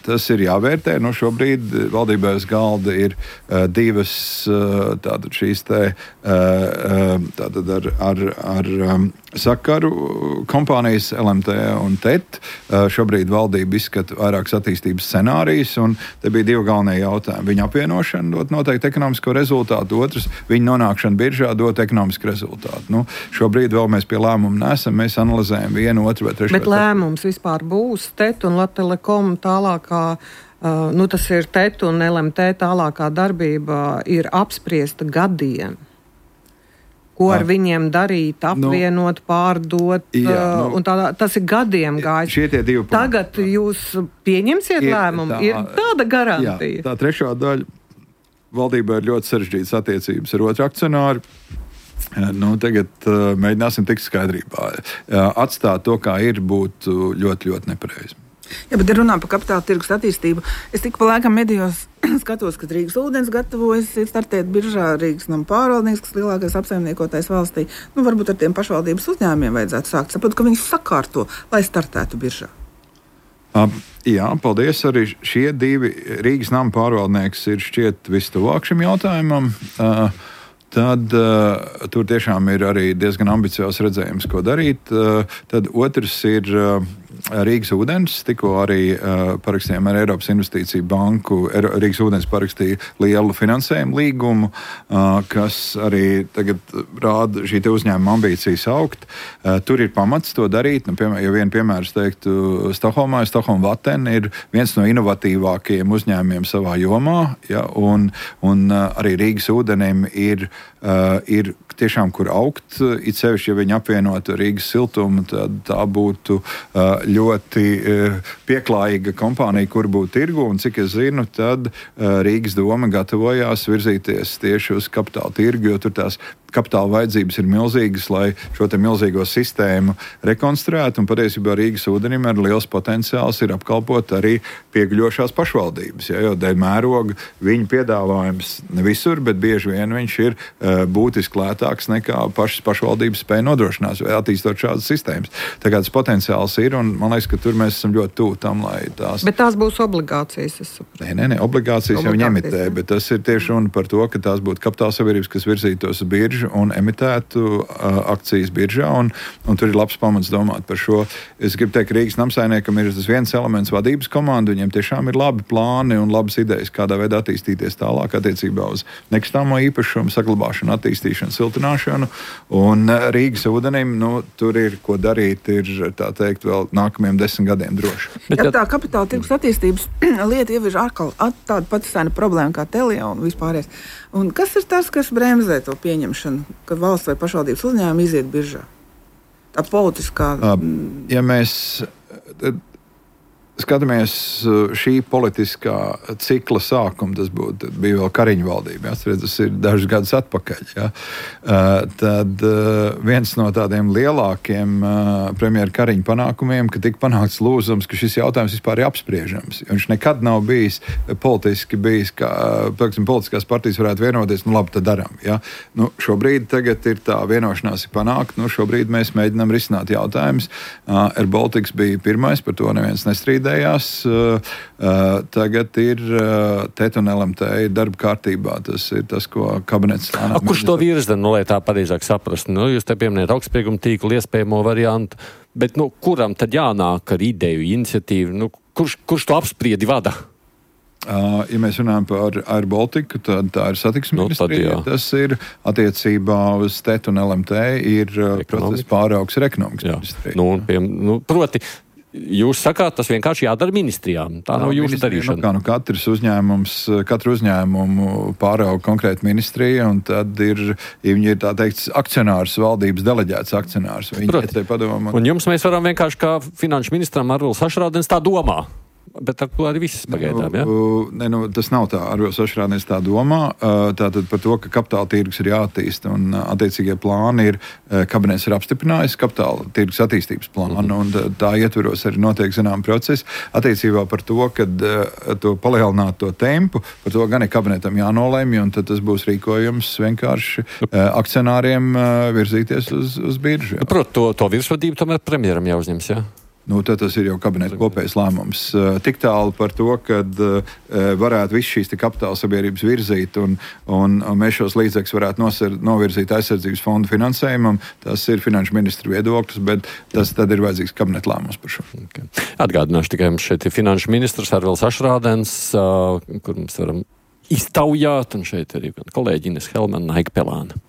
tas ir jāvērtē. Nu, šobrīd valdībā uz galda ir uh, divas uh, tātad šīs te uh, tātad ar, ar, ar um, sakaru kompānijas L M T un T E T. Uh, šobrīd valdība izskata vairākas attīstības scenārijas, un te bija divi galvenie jautājumi. Viņa apvienošana dot noteikti ekonomisko rezultātu, otrs viņa nonākšana biržā dot ekonomisku rezultātu. Nu, šobrīd vēl mēs pie lēmuma nesam, mēs analizējam vienu, otru vai trešo. Bet lēmums vispār būs T E T un Latelekom tālākā. Uh, nu, tas ir T E T un L M T tālākā darbība ir apspriesta gadiem. Ko ar viņiem darīt, apvienot, nu, pārdot, jā, nu, un tā, tas ir gadiem gājis. Šie tie divi punkti. Tagad jūs pieņemsiet ir, lēmumu, tā, ir tāda garantija. Jā, tā trešā daļa valdībā ir ļoti sarežģītas attiecības ar otru akcionāru. Nu, tagad uh, mēģināsim tikt skaidrībā. Uh, atstāt to, kā ir, būtu ļoti, ļoti nepareizi. Jā, bet runā par kapitāla tirgus attīstību. Es tik pa laikam medijos skatos, ka Rīgas ūdens gatavojas startēt biržā, Rīgas nama pārvaldnieks, kas lielākais apsaimniekotājs valstī. Nu, varbūt ar tiem pašvaldības uzņēmumiem vajadzētu sākt. Saprotu, ka viņus sakārto, lai startētu biržā. Uh, jā, paldies. Arī šie divi Rīgas nama pārvaldnieks ir šķiet vistuvāk šim jautājumam. Uh, Tad uh, tur tiešām ir arī diezgan ambiciozs redzējums, ko darīt. Uh, tad otrs ir uh, Rīgas ūdens. Tikko arī uh, parakstījām ar Eiropas Investīciju banku. Er, Rīgas ūdens parakstīja lielu finansējumu līgumu, uh, kas arī tagad rāda šī uzņēmuma ambīcijas augt. Uh, tur ir pamats to darīt. Nu, piemēram, ja vienu piemēru es teiktu, Stokholmā, Stokholma Vatten ir viens no inovatīvākajiem uzņēmumiem savā jomā, ja, un, un uh, arī Rīgas ūdenim ir Uh, ir tiešām kur augt, it sevišķi, ja viņi apvienotu Rīgas siltumu, tad tā būtu uh, ļoti uh, pieklājīga kompānija, kur būtu tirgu, un cik es zinu, tad uh, Rīgas doma gatavojās virzīties tieši uz kapitāla tirgu, jo tur tās kapitāla vajadzības ir milzīgas, lai šo te milzīgo sistēmu rekonstruētu, un patiesībā Rīgas ūdenim ar liels potenciāls ir apkalpot arī pieguļošās pašvaldības, ja, jo dēļ mēroga viņu piedāvājums ne visur, bet bieži vien viņš ir uh, būtiski lētāks nekā pašas pašvaldības spēja nodrošināt, vai attīstot šādas sistēmas. Tā kā tas potenciāls ir, un man liekas, ka tur mēs esam ļoti tuvu tam, lai tās... Bet tās būs obligācijas, es saprotu. Nē, nē, nē, obligācijas, obligācijas jau viņi emitē, jā. Bet tas ir tieši runa par to, ka tās būtu kapitāla sabiedrības, kas virzītos uz biržu un emitētu uh, akcijas biržā, un, un tur ir labs pamats domāt par šo. Es gribu teikt, ka Rīgas namsaimniekam ir tas viens elements vadības komanda, viņiem tiešām ir labi plāni un labas idejas, kādā veidā attīstīties tālāk attiecībā uz nekustāmo īpašumu, saglabāšanu, attīstīšanu, siltināšanu, un Rīgas ūdenim, nu, tur ir, ko darīt, ir, tā teikt, vēl nākamajiem desmit gadiem droši. Bet, ja tā kapitāla tirgus attīstības lieta jau ir atkal tāda pati sena problēma kā Telia un vispārējais. Un kas ir tas, kas bremzē to pieņemšanu, kad valsts vai pašvaldības uzņēmumi iziet biržā? Tā politiskā... Ja mēs skatāmies šī politiskā cikla sākuma, tas būtu, bija vēl Kariņa valdība, ja, redz, tas ir dažus gadus atpakaļ, ja, tad viens no tādiem lielākiem premjera Kariņa panākumiem, ka tika panākts lūzums, ka šis jautājums vispār ir apspriežams. Viņš nekad nav bijis politiski bijis, kā, piemēram, politiskās partijas varētu vienoties, nu labi, tad daram. Ja. Nu, šobrīd tagad ir tā vienošanās ir panākt, nu šobrīd mēs mēģinām risināt jautājumus. Air Baltics bija pirmais, par to neviens nestrīd. Uh, uh, tagad ir uh, T E T un L M T ir darba kārtībā. Tas ir tas, ko kabinets slānā. Kurš to virza, nu, lai tā pareizāk saprast? Nu, jūs te pieminējat augstsprieguma tīklu iespējamo variantu, bet nu, kuram tad jānāk ar ideju, iniciatīvu? Nu, kurš, kurš to apspriedi vada? Uh, ja mēs runājam par Air Baltiku, tad tā ir satiksmes nu, ministrija. Tas ir attiecībā uz T E T un L M T ir uh, process pāraugs ar ekonomikas ministriju. Nu, pie, nu, proti, jūs sakāt, tas vienkārši jādara ministrijām. Tā nav, nav jūsu darīšana. Nu, kā, nu, katrs uzņēmums, katru uzņēmumu pārauga konkrēti ministrija, un tad ir, ja viņi ir tā teikt, akcionārs, valdības deleģēts akcionārs. Viņi te padomā. Un jums mēs varam vienkārši kā finanšu ministram Arvils Ašrādens tā domā. Bet ar to arī viss pagaidām, ja? Ne, nu, tas nav tā, Arvils Ašrādens tā domā. Tātad par to, ka kapitāla tirgus ir jāattīsta un attiecīgie plāni ir, kabinets ir apstiprinājis kapitāla tirgus attīstības plānu, mm-hmm. un tā ietveros arī notiek zinām procesi. Attiecībā par to, kad to palielināt to tempu, par to gan ir kabinetam jānolēmj, un tad tas būs rīkojums vienkārši akcionāriem virzīties uz, uz biržu. Protams, to, to virsvadību tomēr premjeram jāuzņems, jā? Nu, tad tas ir jau kabineta kopējs lēmums. Tik tālu par to, ka varētu visu šīs kapitāla sabiedrības virzīt un, un, un mēs šos līdzekļus varētu nosar, novirzīt aizsardzības fondu finansējumam. Tas ir finanšu ministra viedoklis, bet tas tad ir vajadzīgs kabineta lēmums par šo. Okay. Atgādināšu tikai, mums šeit ir finanšu ministrs Arvils Ašrādens, kur mums varam iztaujāt, un šeit arī kolēģi Ines Helmana, Naika Pelāna.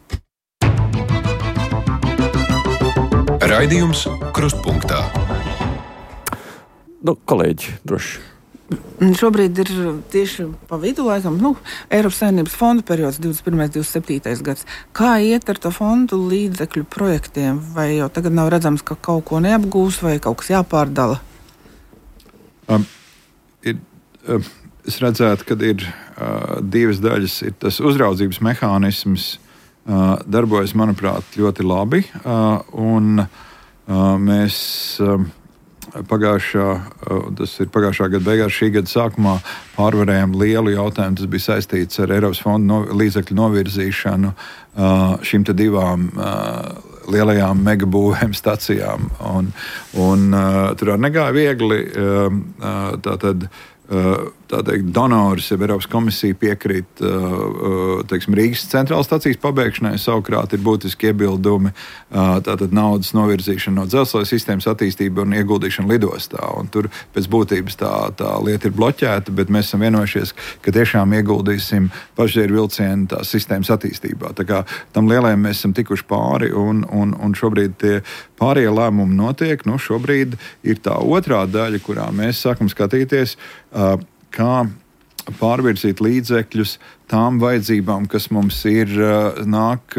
Raidījums Krustpunktā. Nu, kolēģi, droši. Šobrīd ir tieši pa vidu, laikam, nu, Eiropas Savienības fondu periods divdesmit pirmais divdesmit septītais gads. Kā iet ar to fondu līdzekļu projektiem? Vai jau tagad nav redzams, ka kaut ko neapgūs vai kaut kas jāpārdala? Um, ir, um, es redzētu, ka ir uh, divas daļas. Ir tas uzraudzības mehānisms uh, darbojas, manuprāt, ļoti labi. Uh, un uh, mēs... Uh, pagājušā, tas ir pagājušā gada beigās, šī gada sākumā pārvarējām lielu jautājumu. Tas bija saistīts ar Eiropas fondu no, līdzekļu novirzīšanu šīm te divām lielajām megabūvēm stacijām. Un, un tur arī negāja viegli. Tātad tā teikt, donors, ja Eiropas komisija piekrīt teiksim, Rīgas centrālas stacijas pabeigšanai, savukārt ir būtiski iebildumi tātad naudas novirzīšana no dzelzceļa sistēmas attīstība un ieguldīšana lidostā. Un tur pēc būtības tā, tā lieta ir bloķēta, bet mēs esam vienojušies, ka tiešām ieguldīsim pasažieru vilcienu tās sistēmas attīstībā. Tā kā tam lielajam mēs esam tikuši pāri un, un, un šobrīd tie pārējie lēmumi notiek. Nu, šobrīd ir tā otrā daļa, kurā mēs sākam skatīties, kā pārvirzīt līdzekļus tām vajadzībām, kas mums ir nāk,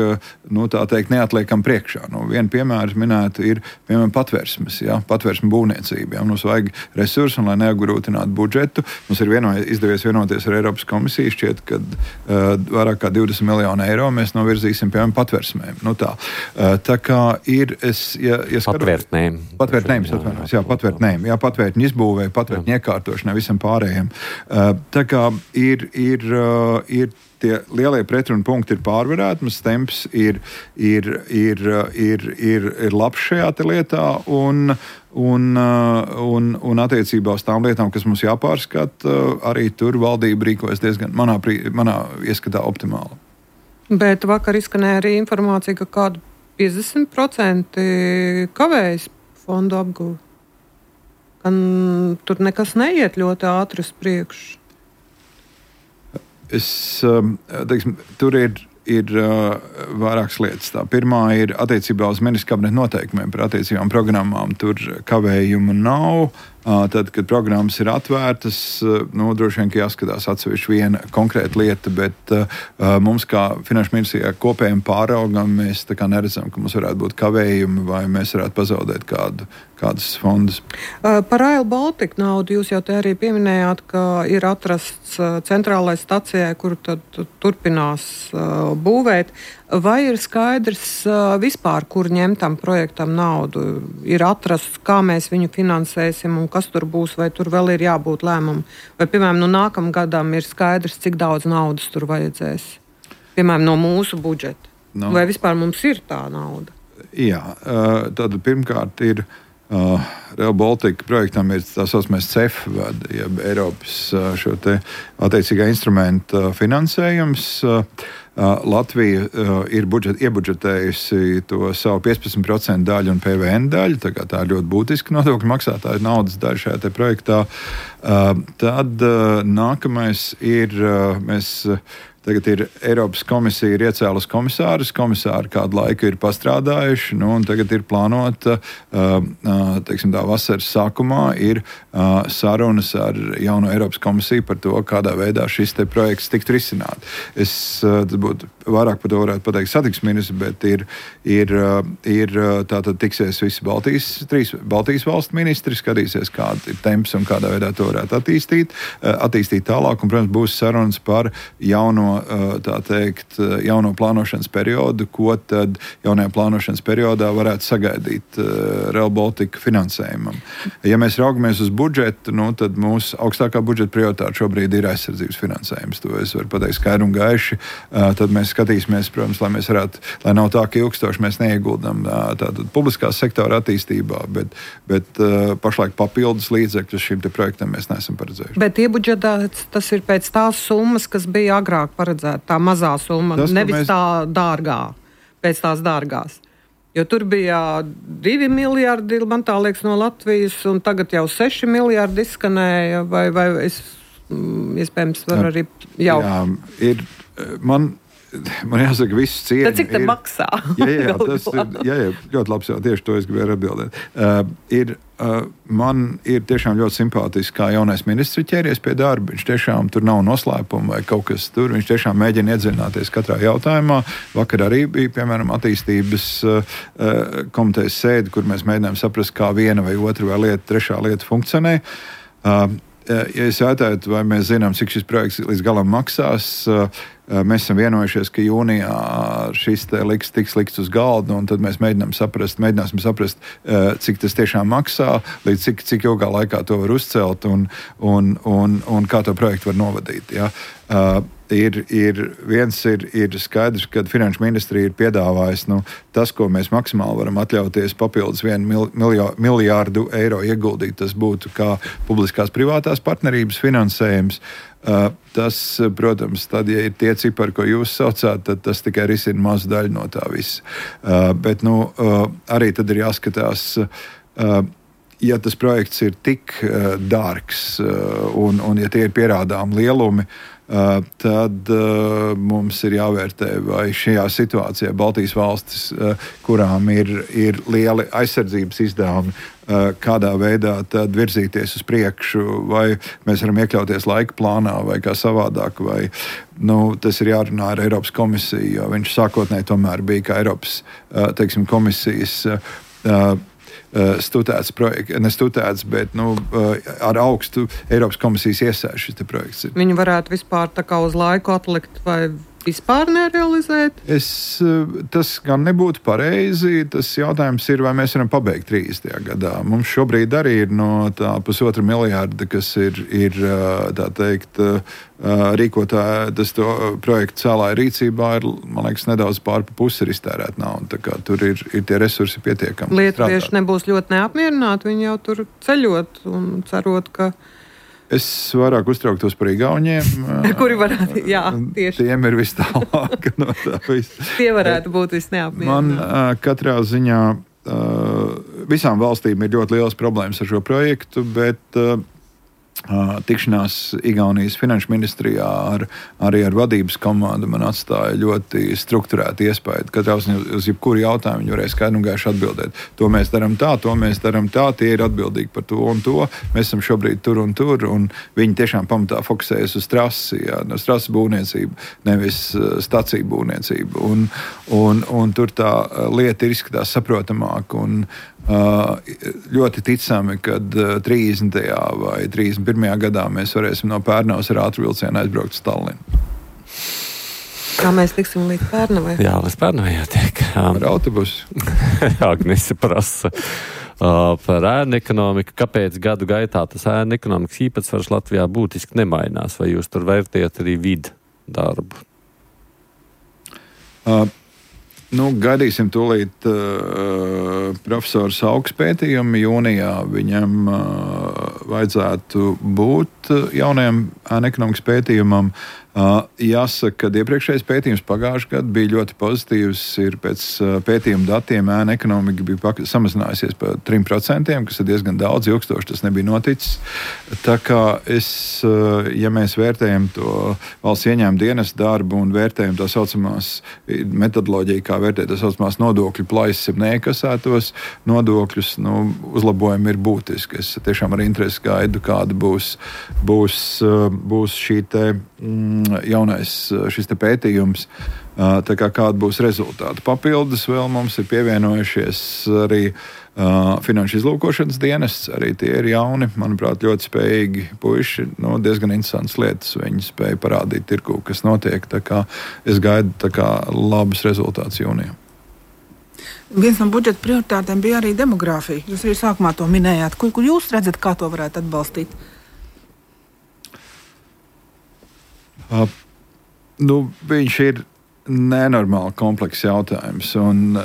nu, tā teikt, neatliekam priekšā. Nu, vienu piemēru minētu ir, piemēram, patvērsmes, ja, patvērsmu būvniecība. Ja. Mums vajag resursu, un lai neapgrūtinātu budžetu, mums ir vieno, izdevies vienoties ar Eiropas komisiju, šķiet, ka uh, vairāk kā divdesmit miljonu eiro mēs novirzīsim, piemēram, patvērsmēm. Nu, tā. Uh, tā kā ir, es, ja, ja skatos... Patvērtnēm. Patvērtnēm, atvainojos, jā, patvērtnēm. Jā, patvērtņu izbūvē, patvērtņu iekārtošanai, visam pārējiem. Uh, tā kā ir, ir, uh, ir tie lielie pretrunu punkti ir pārvarēti, mums temps ir, ir, ir, ir, ir, ir labs šajā lietā, un, un, un, un attiecībā uz tām lietām, kas mums jāpārskata, arī tur valdība rīkojas diezgan, manā, manā ieskatā, optimāli. Bet vakar izskanēja arī informācija, ka kādu piecdesmit procenti kavējas fondu apgūvi. Ka tur nekas neiet ļoti ātri uz priekšu. Es, teiksim, tur ir, ir uh, vairākas lietas. Tā pirmā ir attiecībā uz ministra kabineta noteikumiem par attiecībām programmām. Tur kavējumu nav. Uh, tad, kad programmas ir atvērtas, uh, nu, droši vien, ka jāskatās atsevišķi viena konkrēta lieta, bet uh, mums kā finanšu ministrijā kopējiem pāraugam mēs tā kā neredzam, ka mums varētu būt kavējumi vai mēs varētu pazaudēt kādu, kādus fondus. Uh, par Rail Baltica naudu jūs jau te arī pieminējāt, ka ir atrasts uh, centrālai stacijai, kuru tad turpinās uh, būvēt. Vai ir skaidrs uh, vispār, kur ņemt tam projektam naudu? Ir atrasts, kā mēs viņu finansēsim un kas tur būs, vai tur vēl ir jābūt lēmumu? Vai, piemēram, no nākamam gadam ir skaidrs, cik daudz naudas tur vajadzēs? Piemēram, no mūsu budžeta. No. Vai vispār mums ir tā nauda? Jā, uh, tad pirmkārt ir Uh, Rail Baltica projektam ir tā saucamais C E F, jeb Eiropas uh, šo te attiecīgā instrumenta finansējums. Uh, uh, Latvija uh, ir budžet, iebudžetējusi to savu piecpadsmit procentu daļu un P V N daļu, tā kā tā ir ļoti būtiska nodokļu maksātāja naudas daļa šajā te projektā. Uh, tad uh, nākamais ir, uh, mēs uh, Tagad ir Eiropas komisija ir iecēlusi komisārus. Komisāri kādu laiku ir pastrādājuši, nu, un tagad ir plānota, uh, teiksim, tā vasaras sākumā ir uh, sarunas ar jauno Eiropas komisiju par to, kādā veidā šis te projekts tiktu risināt. Es uh, būtu vairāk par to varētu pateikt satiksmes ministrs, bet ir, ir, uh, ir tātad tiksies visi Baltijas, trīs Baltijas valstu ministri, skatīsies, kāda ir temps un kādā veidā to varētu attīstīt, uh, attīstīt tālāk, un, protams, būs sarunas par jauno tā teikt, jauno plānošanas periodu, ko tad jaunajā plānošanas periodā varētu sagaidīt uh, Rail Baltica finansējumam. Ja mēs raugamies uz budžetu, nu, tad mūsu augstākā budžeta prioritāte šobrīd ir aizsardzības finansējums. To es varu pateikt skaidri un gaiši. Uh, tad mēs skatīsimies, protams, lai mēs varētu, lai nav tā, ka ilgstoši mēs neieguldam uh, tātad publiskā sektora attīstībā, bet, bet uh, pašlaik papildus līdzekļus šim te projektam mēs neesam paredzējuši. Bet iebudžetēts tas ir pēc tās summas, kas bija agrāk paredzēta, tā mazā summa, tas, nevis mēs... tā dārgā, pēc tās dārgās. Jo tur bija divi miljardi, man tā liekas, no Latvijas, un tagad jau seši miljardi izskanēja, vai, vai es, iespējams, varu arī jau... Jā, ir, man... Man jāsaka, viss cieņa. Tad cik te ir, maksā? Jā, jā, tas ir jā, jā, ļoti labs, jā, tieši to es gribēju atbildēt. Uh, ir, uh, man ir tiešām ļoti simpātiski, kā jaunais ministrs ķēries pie darba. Viņš tiešām tur nav noslēpuma vai kaut kas tur. Viņš tiešām mēģina iedziļināties katrā jautājumā. Vakar arī bija, piemēram, attīstības uh, komitejas sēde, kur mēs mēģinājām saprast, kā viena vai otra vai lieta, trešā lieta funkcionē. Uh, Ja es jautāju, vai mēs zinām, cik šis projekts līdz galam maksās, mēs esam vienojušies, ka jūnijā šis te liks, tiks liks uz galda, un tad mēs mēģinām saprast, mēģināsim saprast, cik tas tiešām maksā, līdz cik, cik ilgā laikā to var uzcelt un, un, un, un kā to projektu var novadīt. Ja? Uh, ir, ir, viens ir, ir skaidrs, ka Finanšu ministrija ir piedāvājis nu, tas, ko mēs maksimāli varam atļauties papildus vienu mil, miljo, miljārdu eiro ieguldīt. Tas būtu kā publiskās privātās partnerības finansējums. Uh, tas, protams, tad, ja ir tie cipari, ko jūs saucāt, tad tas tikai risina mazu daļu no tā visa. Uh, bet nu, uh, arī tad ir jāskatās, uh, ja tas projekts ir tik uh, dārgs uh, un, un ja tie ir pierādām lielumi, Uh, tad uh, mums ir jāvērtē, vai šajā situācijā Baltijas valstis, uh, kurām ir, ir lieli aizsardzības izdevumi, uh, kādā veidā tad virzīties uz priekšu, vai mēs varam iekļauties laika plānā, vai kā savādāk, vai nu, tas ir jārunā ar Eiropas komisiju, jo viņš sākotnēji tomēr bija kā Eiropas uh, teiksim, komisijas uh, studēts projekts, ne studēts, bet nu, ar augstu Eiropas komisijas iesaisti šis projekts ir. Viņi varētu vispār tā kā uz laiku atlikt vai vispār nerealizēt? Es, tas gan nebūtu pareizi. Tas jautājums ir, vai mēs varam pabeigt trīsdesmitajā gadā. Mums šobrīd arī ir no tā pusotra miljārda, kas ir, ir tā teikt, rīkotāja, tas to projektu cēlāja rīcībā, ir, man liekas, nedaudz pār pa pusi ir iztērēt naudu. Tā kā tur ir, ir tie resursi pietiekami. Lietuvieši nebūs ļoti neapmierināti, viņi jau tur ceļot un cerot, ka es vairāk uztrauktos par igauņiem. Kuri varētu, jā, tieši. Tiem ir vis tālāk no tā visa. Tie varētu būt visneapmierināti. Man katrā ziņā visām valstīm ir ļoti liels problēmas ar šo projektu, bet tikšanās Igaunijas finanšu ministrijā ar, arī ar vadības komandu man atstāja ļoti strukturētu iespēju. Katrā ziņā uz jebkuru jautājumu viņi varēja skaidri un gaiši atbildēt. To mēs darām tā, to mēs darām tā, tie ir atbildīgi par to un to. Mēs esam šobrīd tur un tur, un viņi tiešām pamatā fokusējas uz trasi, jā, uz trases būvniecību, nevis staciju būvniecību. Un, un, un tur tā lieta ir izskatās saprotamāk un Uh, ļoti ticami, kad uh, trīsdesmitajā vai trīsdesmit pirmajā gadā mēs varēsim no Pērnavas ar ātru vilcienu aizbraukt uz Tallinu. Kā mēs tiksim līdz Pērnavai? Jā, līdz Pērnavai jātiek. Um, ar autobusu. Agnese prasa uh, par ēnu ekonomiku. Kāpēc gadu gaitā tas ēnu ekonomikas īpatsvars Latvijā būtiski nemainās? Vai jūs tur vērtējat arī vidu darbu? Uh, Nu, gaidīsim tūlīt uh, profesors Augs pētījumu. Jūnijā viņam uh, vajadzētu būt jaunajam ēnu ekonomikas pētījumam. Uh, jāsaka, ka iepriekšējais pētījums pagājušajā gadā bija ļoti pozitīvs. Ir pēc uh, pētījuma datiem ēnu ekonomika bija pak- samazinājusies par trim procentiem, kas ir diezgan daudz, ilgstoši tas nebija noticis. Tā kā es, uh, ja mēs vērtējam to valsts ieņēmuma dienesta darbu un vērtējam tā saucamās metodoloģiju, kā vērtēt tā saucamās nodokļu plaisas, jeb neiekasētos nodokļus, nu, uzlabojumi ir būtiski. Es tiešām ar interesi gaidu, kāda būs, būs, uh, būs šī te mm, jaunais šis te pētījums, tā kā kāda būs rezultāti. Papildus vēl mums ir pievienojušies arī uh, finanšu izlūkošanas dienests, arī tie ir jauni, manuprāt, ļoti spējīgi puiši, nu, diezgan interesantas lietas, viņi spēja parādīt tirgu, kas notiek, tā kā es gaidu tā kā labus rezultātus jūnijā. Viens no budžeta prioritātēm bija arī demogrāfija. Jūs arī sākumā to minējāt. Kur, kur jūs redzat, kā to varētu atbalstīt? Uh, nu, viņš ir nenormāli komplekss jautājums. Un,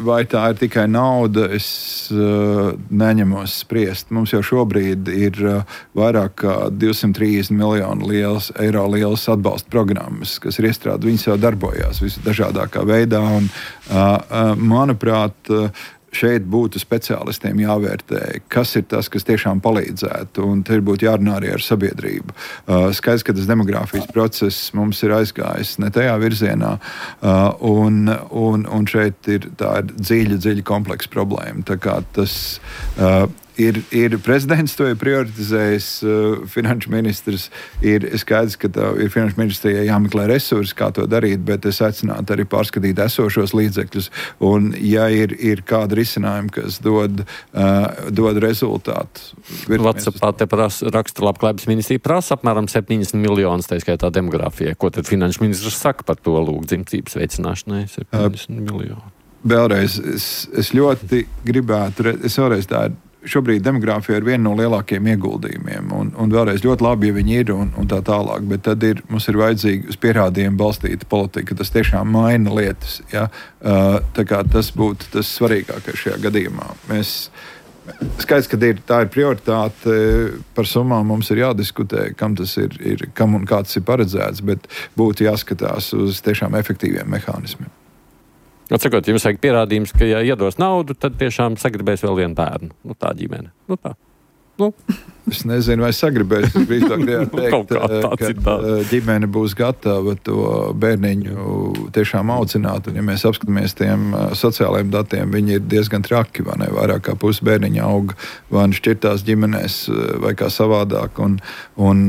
vai tā ir tikai nauda, es uh, neņemos spriest. Mums jau šobrīd ir uh, vairāk kā divsimt trīsdesmit miljonu liels, eiro lielas atbalsta programmas, kas ir iestrādātas. Viņas jau darbojās visdažādākā veidā. Un, uh, uh, manuprāt, uh, šeit būtu speciālistiem jāvērtē, kas ir tas, kas tiešām palīdzētu, un te būtu jārunā arī ar sabiedrību. Uh, skaidrs, ka tas demogrāfijas process mums ir aizgājis ne tajā virzienā, uh, un, un, un šeit ir tā dziļa, dziļa kompleksa problēma. Tā kā tas uh, Ir, ir prezidents to ir prioritizējis, uh, finanšu ministrs ir skaidrs, ka tā ir finanšu ministrijai jāmeklē resursi, kā to darīt, bet es aicinātu arī pārskatīt esošos līdzekļus. Un, ja ir, ir kāda risinājuma, kas dod, uh, dod rezultātu. Vatsapā te prasa, raksta labklājības ministrija prasa apmēram septiņdesmit miljonus, tā skaitā demogrāfijai. Ko tad finanšu ministrs saka par to lūk dzimtības veicināšanai? septiņdesmit uh, miljoni. Vēlreiz, es, es ļoti gribētu, es vēlreiz tā ir. Šobrīd demogrāfija ir viena no lielākajiem ieguldījumiem, un, un vēlreiz ļoti labi, ja viņi ir un, un tā tālāk, bet tad ir, mums ir vajadzīga uz pierādījumu balstīta politika, tas tiešām maina lietas. Ja? Uh, tā kā tas būtu tas svarīgākais šajā gadījumā. Mēs, skaidrs, ka ir, tā ir prioritāte, par summām mums ir jādiskutē, kam tas ir, ir kam un kā tas ir paredzēts, bet būtu jāskatās uz tiešām efektīviem mehānismiem. Atsakot, jums vajag pierādījums, ka, ja iedos naudu, tad tiešām sagribēs vēl vienu bērnu. Nu, tā ģimene. Nu, tā. Nu. Es nezinu, vai sagribēs. Es drīzāk gribētu teikt, ka ģimene būs gatava to bērniņu tiešām audzināt. Un, ja mēs apskatāmies tiem sociālajiem datiem, viņi ir diezgan traki, vai ne? Vairāk kā pusi bērniņa aug vai nu šķirtās ģimenēs vai kā savādāk. Un, un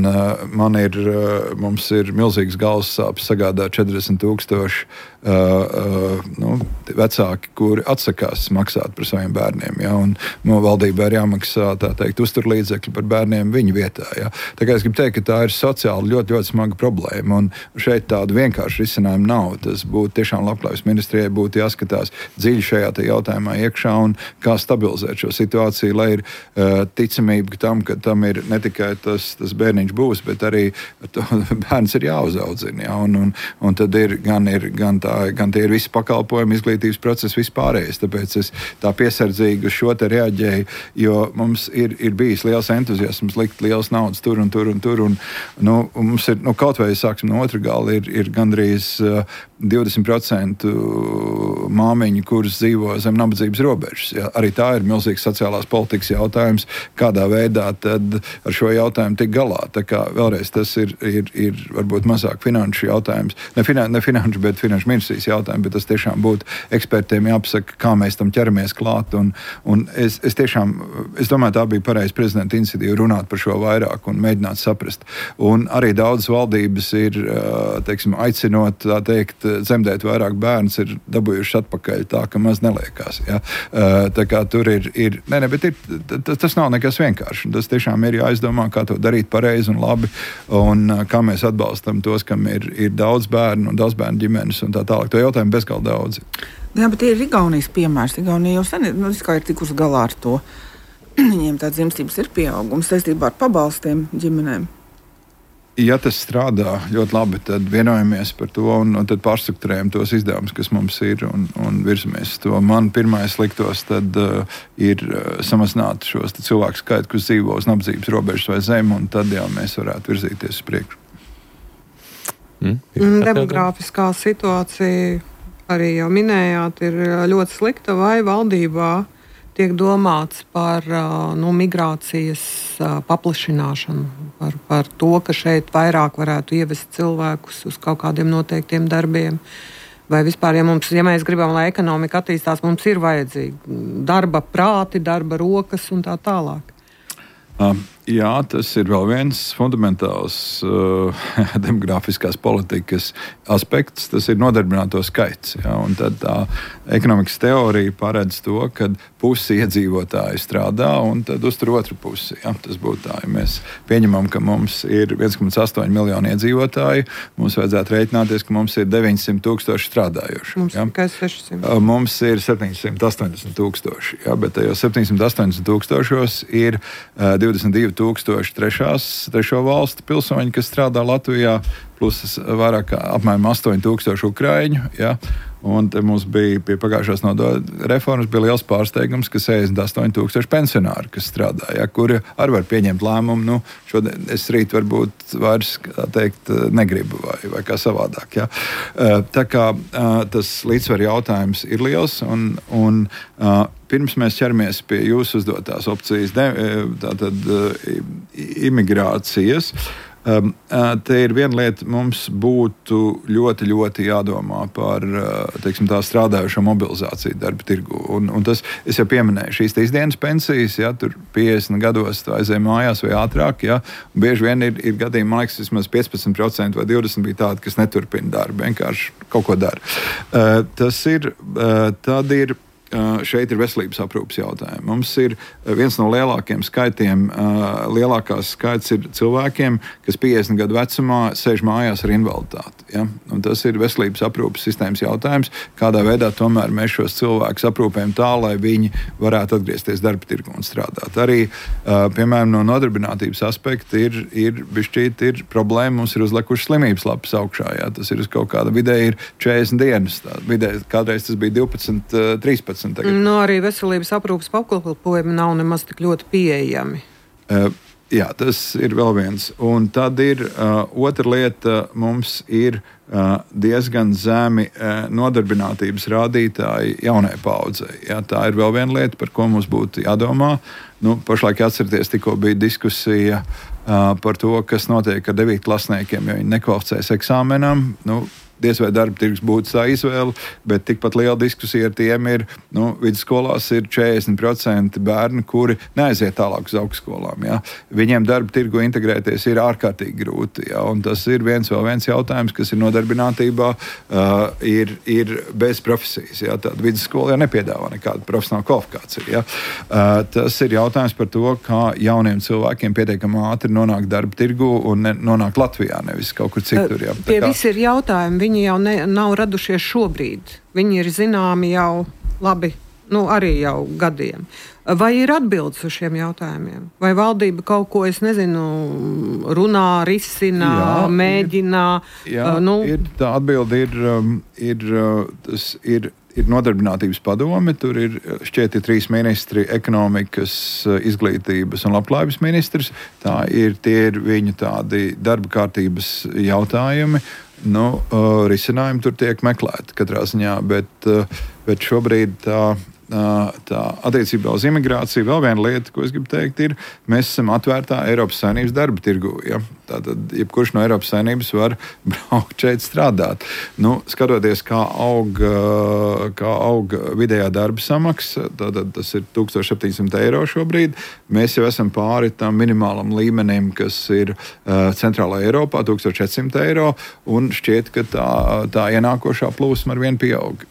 man ir, mums ir milzīgs galvas sāpes sagādāt četrdesmit tūkstoši uh, uh, nu, vecāki, kuri atsakās maksāt par saviem bērniem. Ja? Un no valdībai ir jāmaksā, tā teikt, uzturlīdzekļi par bērniem viņu vietā. Ja? Tā kā es gribu teikt, ka tā ir sociāli ļoti, ļoti smaga problēma, un šeit tādu vienkāršu risinājumu nav. Tas būtu tiešām labklājības ministrijai būtu jāskatās dziļi šajā jautājumā iekšā un kā stabilizēt šo situāciju, lai ir uh, ticamība tam, ka tam ir ne tikai tas, tas bērniņš būs, bet arī to, bērns ir jāuzaudzina. Ja? Un, un, un tad ir gan, ir, gan, tā, gan tie ir visi pakalpojumi, izglītības procesi, vispārējais. Tāpēc es tā piesardzīgi uz šo te reaģēju, jo mums ir, ir bijis liels entuziasms likt liels naudas tur un tur un tur. Un, nu, un mums ir, nu, kaut vai sāksim no otra gala, ir, ir gandrīz uh, divdesmit procenti māmiņu, kuras dzīvo zem nabadzības robežas. Ja? Arī tā ir milzīgs sociālās politikas jautājums, kādā veidā tad ar šo jautājumu tik galā. Tā kā vēlreiz tas ir, ir, ir varbūt mazāk finanšu jautājums, ne, finan, ne finanšu, bet finanšu ministrijas jautājums, bet tas tiešām būtu ekspertiem jāpasaka, kā mēs tam ķeramies klāt. Un, un es, es tiešām, es domāju, tā bija pareiza prezidenta iniciatīva runāt par šo vairāk un mēģināt saprast. Un arī daudzas valdības ir, teiksim, aicinot, tā teikt, dzemdēt vairāk bērns, ir dabūjuši atpakaļ tā, ka maz neliekās. Ja? Tā kā tur ir, ir ne, ne, bet ir, tas nav nekas vienkārši. Tas tiešām ir jāizdomā, kā to darīt pareizi un labi, un kā mēs atbalstam tos, kam ir, ir daudz bērnu un daudz bērnu ģimenes un tā tālāk. To jautājumu bezgalīgi daudzi. Jā, bet ir Igaunijas piemērs. Igaunija jau sen nu, ir tikusi galā ar to. Viņiem tāds dzimstības ir pieaugums saistībā ar pabalstiem ģimenēm. Ja tas strādā ļoti labi, tad vienojamies par to un, un tad pārstrukturējam tos izdevumus, kas mums ir un, un virzamies to. Man pirmais liktos tad uh, ir uh, samazināt šos cilvēku skaitu, kas dzīvo uz nabadzības robežas vai zem, un tad jau mēs varētu virzīties uz priekšu. Mm. Demogrāfiskā situācija, arī jau minējāt, ir ļoti slikta, vai valdībā tiek domāts par nu, migrācijas paplašināšanu, par, par to, ka šeit vairāk varētu ievest cilvēkus uz kaut kādiem noteiktiem darbiem. Vai vispār, ja, mums, ja mēs gribam, lai ekonomika attīstās, mums ir vajadzīgi darba prāti, darba rokas un tā tālāk. Um, jā, tas ir vēl viens fundamentāls uh, demogrāfiskās politikas aspekts. Tas ir nodarbināto skaits. Ja, un tad tā ekonomikas teorija paredz to, ka pusi iedzīvotāji strādā un tad uztur otru pusi. Ja, tas būtu tā, ja mēs pieņemam, ka mums ir viens komats astoņi miljoni iedzīvotāji, mums vajadzētu rēķināties, ka mums ir deviņsimt tūkstoši strādājoši. Mums ja. ir tikai sešsimt. Uh, mums ir septiņsimt astoņdesmit tūkstoši. Ja, bet tajos septiņsimt astoņdesmit tūkstošos ir uh, divdesmit divi tūkstoši trešās, trešo valstu pilsoņi, kas strādā Latvijā, plus vairāk kā apmēram astoņi tūkstoši ukraiņu. Ja? Un te mums bija pie pagājušās nodokļu reformas bija liels pārsteigums, ka sešdesmit astoņi tūkstoši pensionāri, kas strādā, ja? Kuri arī var pieņemt lēmumu. Nu, šodien es rīt varbūt vairs, kā teikt, negribu vai, vai kā savādāk. Ja? Tā kā tas līdzsver jautājums ir liels un, un pirms mēs ķeramies pie jūsu uzdotās opcijas, tātad imigrācijas, Um, te ir viena lieta, mums būtu ļoti, ļoti jādomā par, teiksim, tā strādājušo mobilizāciju darba tirgu. Un, un tas, es jau pieminēju, šīs ikdienas pensijas, ja, tur piecdesmit gados tu aizēj mājās vai ātrāk, ja, un bieži vien ir, ir gadījumi, man liekas, vismaz piecpadsmit procenti vai divdesmit procenti bija tādi, kas neturpina darbu, vienkārši kaut ko dara. Uh, tas ir, uh, tad ir, uh, šeit ir veselības aprūpes jautājumi. Mums ir viens no lielākiem skaitiem, uh, lielākās skaits ir cilvēkiem, kas piecdesmit gadu vecumā sēž mājās ar invaliditāti. Ja? Un tas ir veselības aprūpes sistēmas jautājums, kādā veidā tomēr mēs šos cilvēkus aprūpējam tā, lai viņi varētu atgriezties darba tirgu un strādāt. Arī, uh, piemēram, no nodarbinātības aspekta ir, ir, bišķīt, ir problēma, mums ir uzlikuši slimības lapas augšā. Ja? Tas ir uz kaut kāda vidēji ir četrdesmit dienas. Tā, vidēji, kādreiz tas bija divpadsmit, trīspadsmit. Tagad. No arī veselības aprūpes pakalpojumi nav nemaz tik ļoti pieejami. Uh, jā, tas ir vēl viens. Un tad ir uh, otra lieta, mums ir uh, diezgan zemi uh, nodarbinātības rādītāji jaunai paudzei. Jā, tā ir vēl viena lieta, par ko mums būtu jādomā. Nu, pašlaik atcerieties, tikko bija diskusija uh, par to, kas notiek ar devītklasniekiem, jo viņi nekvalificējas eksāmenam. Nu, diez vai darba tirgus būtu tā izvēle, bet tikpat liela diskusija ar tiem ir, nu, vidusskolās ir četrdesmit procenti bērni, kuri neaiziet tālāk uz augstskolām. Ja? Viņiem darba tirgu integrēties ir ārkārtīgi grūti. Ja? Un tas ir viens vēl viens jautājums, kas ir nodarbinātībā, uh, ir, ir bez profesijas. Ja? Tāda vidusskola jau nepiedāvā nekādu profesionālu kvalifikāciju. Ja? Uh, tas ir jautājums par to, kā jauniem cilvēkiem pietiekami ātri nonākt darba tirgu un ne, nonākt Latvijā, nevis kaut kur citur. Ja? Tie kā... visi ir jautājumi. Viņi jau ne, nav radušies šobrīd. Viņi ir zināmi jau labi, nu arī jau gadiem. Vai ir atbildes uz šiem jautājumiem? Vai valdība kaut ko, es nezinu, runā, risina, jā, mēģina? Ir, jā, uh, nu... ir, tā atbilde ir, um, ir, uh, tas ir, ir nodarbinātības padome. Tur ir šķiet ir trīs ministri, ekonomikas, izglītības un labklājības ministrs. Tā ir, tie ir viņu tādi darba kārtības jautājumi. Nu, uh, risinājumi tur tiek meklēti katrā ziņā, bet, uh, bet šobrīd tā, uh, tā attiecībā uz imigrāciju vēl viena lieta, ko es gribu teikt, ir, mēs esam atvērtā Eiropas Savienības darba tirgu. Ja? Tātad, jebkurš no Eiropas Savienības var braukt šeit strādāt. Nu, skatoties, kā aug, kā aug vidējā darba samaksa, tātad tas ir tūkstoš septiņsimt eiro šobrīd, mēs jau esam pāri tam minimālam līmenim, kas ir uh, Centrālā Eiropā, tūkstoš četrsimt eiro, un šķiet, ka tā, tā ienākošā plūsma ar vienu pieaug.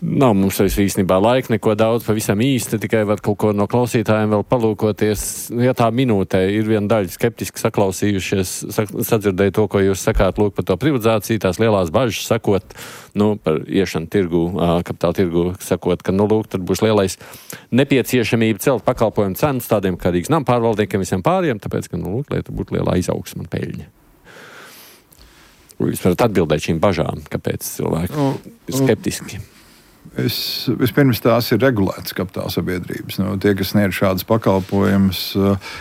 Nav mums īstenībā laika neko daudz, pavisam īsti, tikai var kaut ko no klausītājiem vēl palūkoties. Ja tā minūtē ir viena daļa skeptiski saklausījušies, sadzirdēja to, ko jūs sakāt, lūk, par to privatizāciju, tās lielās bažas sakot, nu, par iešanu tirgu, kapitāla tirgu, sakot, ka, nu, lūk, tad būs lielais nepieciešamība celt pakalpojumu cenas tādiem kā Rīgas nama pārvaldniekiem visiem pāriem, tāpēc, ka, nu, lūk, lai tur būtu lielā izaugsma un peļņa. Jūs varat atbildēt šīm bažām, kāpēc cilvēki nu, ir skeptiski. Es, vispirms tās ir regulētas kapitāla sabiedrības. Nu, tie, kas sniedz šādas pakalpojumus, uh,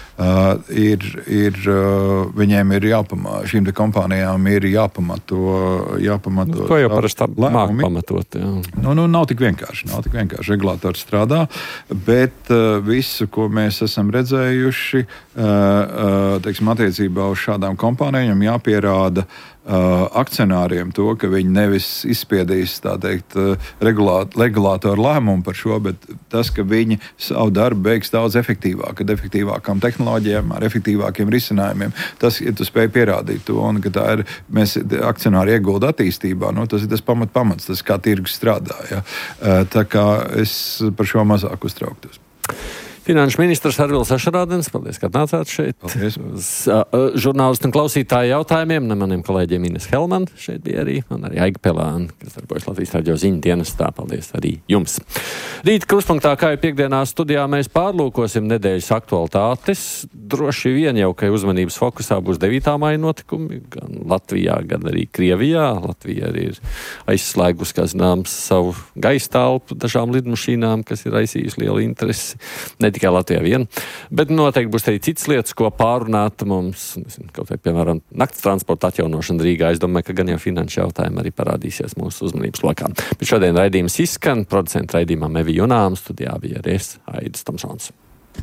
ir, ir, uh, viņiem ir jāpamato, šīm te kompānijām ir jāpamato, jāpamato. Nu, to jau parasti māk pamatot. Jā. Nu, nu, nav tik vienkārši, nav tik vienkārši. Regulātori strādā, bet uh, visu, ko mēs esam redzējuši, uh, uh, teiksim, attiecībā uz šādām kompānijām, jāpierāda Uh, akcionāriem to, ka viņi nevis izspiedīs, tā teikt, uh, regulāt, regulātoru lēmumu par šo, bet tas, ka viņi savu darbu beigs daudz efektīvāk, ar efektīvākām tehnoloģijām, ar efektīvākiem risinājumiem. Tas, ja tu spēj pierādīt to, un ka tā ir, mēs akcionāri iegulda attīstībā, nu, tas ir tas pamat pamats, tas kā tirgus strādā. Ja? Uh, tā kā es par šo mazāk uztrauktos. Finanšu ministrs Arvils Ašarādens, paldies, ka atnācāt šeit. Paldies. Uz uh, žurnālistu un klausītāju jautājumiem. Ne maniem kolēģiem Ines Helman šeit bija arī, un arī Aiga Pelāna, kas darbojas Latvijas radio ziņu dienestā. Paldies arī jums. Rīt Kruspunktā, kā jau piekdienā studijā, mēs pārlūkosim nedēļas aktualitātes. Droši vien jau, ka uzmanības fokusā būs devītā maija notikumi, gan Latvijā, gan arī Krievijā. Latvija arī ir aizslēgus, kā zināms, savu gaisa telpu dažām lidmašīnām, kas ir raisījusi lielu interesi. Ne tikai Latvijā vien, bet noteikti būs arī citas lietas, ko pārunāt mums, nezinu, kaut vai, piemēram, nakts transporta atjaunošana Rīgā. Es domāju, ka gan jau finanšu jautājumi arī parādīsies mūsu uzmanības lokā. Bet šodien raidījums izskan, producenta raidījumā Mevi Junām, studijā bija arī es, Aidis Tomsons.